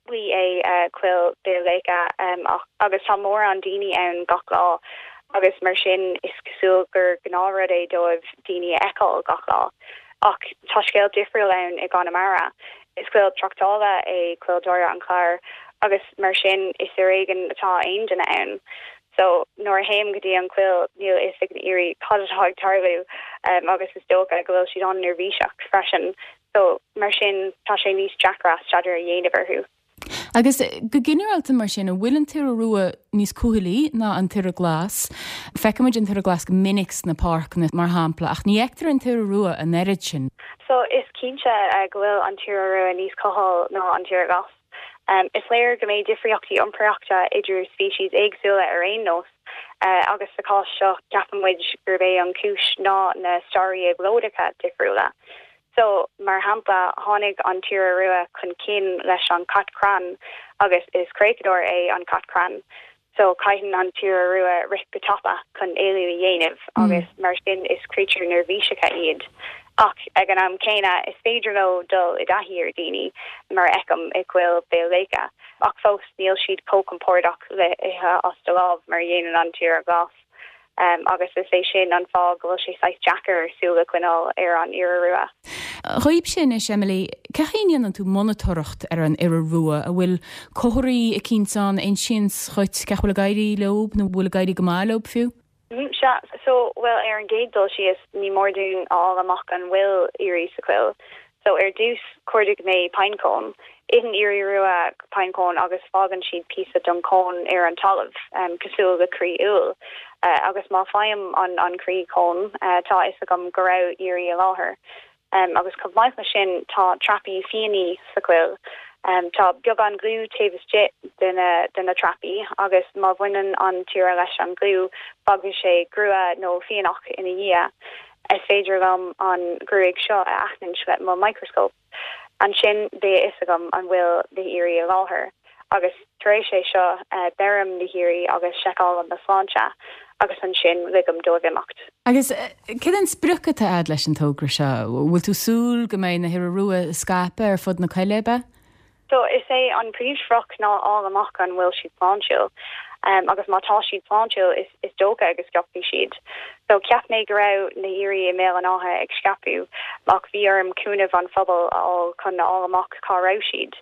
é uh, coill Béal Léice um, ach, agus tá mórán daoine ann gach lá agus mar sin is cosúil gur gnáthrud é dóibh daoine a fheiceáil gach lá. Ach tá scéal difriúil ann i gConamara. Is coill tráchtála é coill Doire an Chláir agus mar sin is ar éigean atá aon duine ann. So nuair a théim go dtí an choill níl fhios ag na hioraí cad atá ag tarlú um, agus is dócha go bhfuil siad an-neirbhíseach freisin. So mar sin tá sé níos deacra staidéar a dhéanamh orthu. Agus go ginearálta mar sin an bhfuil an t-iora rua níos cúthailí ná an t-iora glas. Feicimid an t-iora glas go minic sna páirceanna mar shampla ach ní fheictear an t-iora rua an oiread sin. So is cinnte uh, go bhfuil an t-iora rua níos cuthail ná an t-iora glas. Um, is léir go mbeidh difríochtaí iompraíochta idir speicis éagsúla ar aon nós uh, agus sa chás seo ceapaimid gurb é an chúis ná na stairí éabhlóideacha difriúla. So mar shampla tháinig an t-iora rua chun cinn leis an cat crann agus is creachadóir é an cat crann. So caitheann an t-iora rua rith go tapa chun éalú a dhéanamh mm. agus mar sin is créatúir neirbhíseacha iad. Ach ag an am céanna is féidir leo dul i dtaithí ar daoine mar fheicim i gcoill Béal Léice. Ach fós níl siad chomh compordach le ithe as do lámh mar dhéanann an t-iora glas. Um, agus is é sin an fáth go bhfuil sé saghas deacair súil a choinneáil ar an iora rua. Chuib sin is Emily, cén chaoi a ndéanann tú monatóireacht ar an iora rua an bhfuil comharthaí eicínt ann a insíonn dhuit cén chaoi a bhfuil ag éirí leo nó bhfuil ag éirí go maith leo fiú? Mm, sea so well ar an gcéad dul síos ní mór dúinn a fháil amach an bhfuil ioraí sa choill. So ar dtús chuardaigh mé pinecone. Itheann ioraí rua pinecone agus fágann siad píosa den cón ar an talamh um, cosúil le croí úll. Uh, agus má fhaighim an an croí cón uh, tá fhios agam go raibh ioraí i láthair. Um, agus chomh maith leis sin tá trapaí fiannaí sa choill. Um, tá beagán gliú taobh istigh de na, de na trapaí agus má bhaineann an t-iora leis an gliú fágann sé grua nó fíonach ina dhiaidh. Is féidir liom an ghruaig seo a aithint le mo microscope. Ansin beidh a fhios agam an bhfuil na hioraí i láthair. agus tar éis é seo uh, beirim na hioraí agus seiceálaim a sláinte agus ansin ligim dóibh imeacht. Agus cad é an sprioc atá agat leis an togra seo, bhfuil tú súil go mbeidh na hiora rua scaipthe ar fud na coille? So is é an príomhsprioc ná fháil amach an bhfuil siad sláintiúil. Um, agus má tá siad sláintiúil is, is dócha go scaipfidh siad. So cheap mé go raibh na hioraí i mBéal an Átha ag scaipeadh ach bhí orm cúnamh an phobal a fháil chun fháil amach cá raibh siad.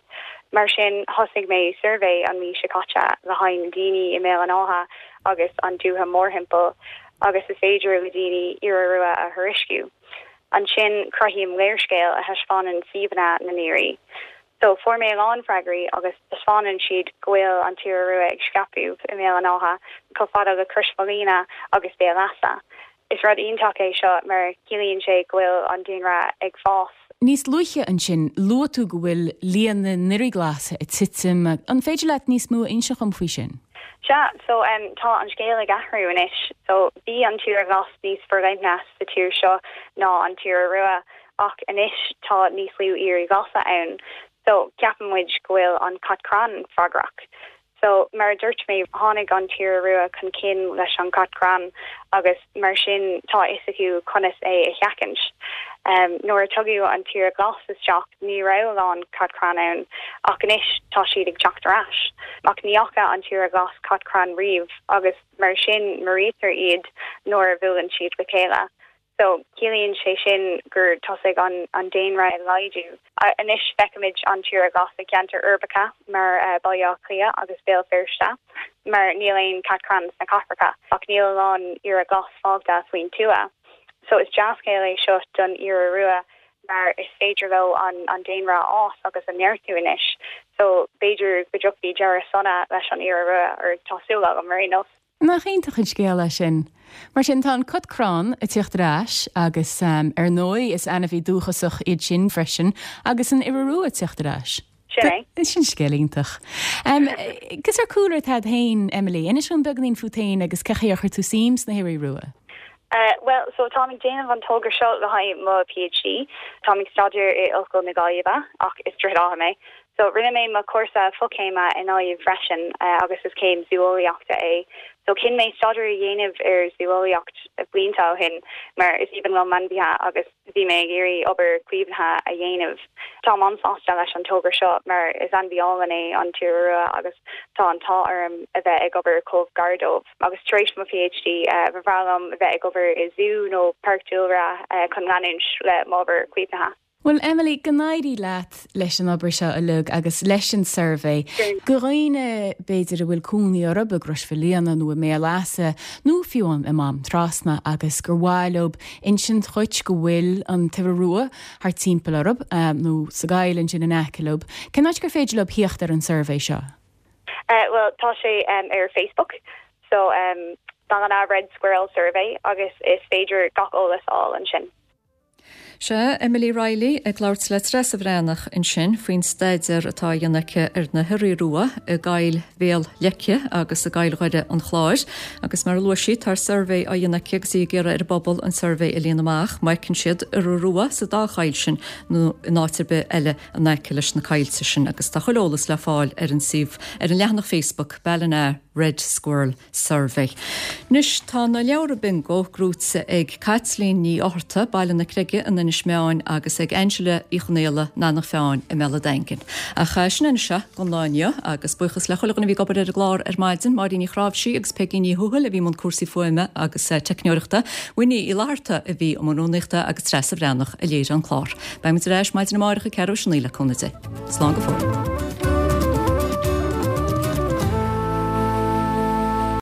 Mar sin thosaigh mé suirbhé an mhí seo caite le haghaidh daoine i mBéal an Átha agus an dúiche mórthimpeall agus is féidir le daoine iora rua a thuairisciú. Ansin cruthaím léarscáil a thaispeánann suíomhanna na n-ioraí. So fuair mé a lán freagraí agus taispeánann siad go bhfuil an t-iora rua ag scaipeadh i mBéal an Átha chomh fada le Crois Mhaoilíona agus Béal Easa. Is rud iontach é seo mar ciallaíonn sé go bhfuil an daonra ag fás. Níos luaithe ansin luaigh tú go bhfuil líon na n-ioraí glasa ag titim, an féidir leat níos mó a inse dhom faoi sin? Sea, so um, tá an scéal ag athrú anois, so bhí an t-iora glas níos forleithne sa tír seo ná an t-iora rua ach anois tá níos lú ioraí glasa ann. So ceapann muid go bhfuil an cat crann freagrach. So mar a dúirt mé tháinig an t-iora rua chun cinn leis an cat crann agus mar sin tá a fhios acu conas é a sheachaint. Um, nuair a tugadh an t-iora glas isteach ní raibh a lán cat crann ann ach anois tá siad ag teacht ar ais. Ach ní fhaca an t-iora glas cat crann riamh agus mar sin maraítear iad nuair a bhuaileann siad le chéile. So ciallaíonn sé sin gur tosaigh an, an daonra ag laghdú. Anois feicimid an t-iora glas i gceantair uirbeacha mar uh, Baile Átha Cliath agus Béal Feirste, mar níl aon cat crann sna cathracha ach níl a lán iora glas fágtha faoin tuath. So is dea-scéal é seo don iora rua mar is féidir leo an, an daonra a fhás agus a neartú anois. So b'fhéidir go dtiocfaidh deireadh sona leis an iora rua ar tá súil agam mar aon nós. Nach iontach an scéal é sin. Mar sin tá an cat crann ag teacht ar ais agus um, ar ndóigh is ainmhí dúchasach iad sin freisin agus an iora rua ag teacht ar ais. Sin é. Sin scéal iontach. Um, Cén sórt cúlra atá agat féin Emily, inis dom beagáinín fút féin agus cén chaoi ar chuir tú suim sna hioraí rua. Uh, well, so táim ag déanamh an togra seo le haghaidh mo PhD, Táim ag staidéar i Ollscoil na Gaillimhe ach is Droichead Átha mé. So rinne mé mo chúrsa fochéime i nGaillimh freisin uh, agus is céim zúeolaíochta é. So chinn mé staidéar a dhéanamh ar zúeolaíocht blianta ó shin mar is aoibhinn liom ainmhithe agus bhí mé ag iarraidh obair caomhnaithe a dhéanamh. Tá an-sásta leis an togra seo mar is ainmhí álainn é an t-iora rua agus tá an t-ádh orm a bheith ag obair chomh gar dóibh. Agus tar éis mo PhD uh, ba bhreá liom a bheith ag obair i zú nó páirc dúlra uh, chun leanúint le m'obair caomhnaithe. Well Emily go n-éirí leat leis an obair seo uilig agus leis an suirbhé. Do dhaoine b'fhéidir a bhfuil cónaí orthu i gCrois Mhaoilíona nó i mBéal Easa nó fiú i Mám Trasna agus gur mhaith leo insint dhuit go bhfuil an t-iora rua thart timpeall orthu um, nó sa gcoill ansin in aice leo. Cén áit gur féidir leo theacht ar an suirbhé seo? Uh, well tá sé um, ar Facebook so um, Ballina Red Squirrel Survey agus is féidir gach eolas a fháil ansin. Sé Emily Riley ag labhairt le Treasa Bhreathnach ansin faoin staidéar atá á dhéanamh aici ar na hioraí rua i gCoill Bhéal Leice agus i gCoill Dhoire an Chláir, agus mar a luaigh sí tá suirbhé á dhéanamh aici agus í ag iarraidh ar an bpobal an suirbhé a líonadh amach, má fheiceann siad iora rua sa dá choill sin nó in áit ar bith eile in aice leis na coillte sin agus tá chuile eolas le fáil ar an suíomh ar an leathanach Facebook Ballina Red Squirrel Survey. Anois tá na leabhra bingo gnóite ag Caitlín Ní Fhátharta Baile na Creige in Inis Meáin agus ag Angela Uí Chonghaile Eanach Mheáin i mBéal an Daingin. Ach sin anseo don lá inniu agus buíochas le chuile dhuine a bhí ag obair ar an gclár ar maidin Máirín Ní Chráimhsí agus Peigí Ní Thuathail a bhí i mbun cúrsaí fuaime agus eh, teicneoireachta, Winnie Uí Fhlatharta a bhí i mbun rúnaíochta agus Treasa Bhreathnach a léirigh an clár. Beimid ar ais maidin amárach ag ceathrú théis a naoi le cúnamh Dé. Slán go fóill.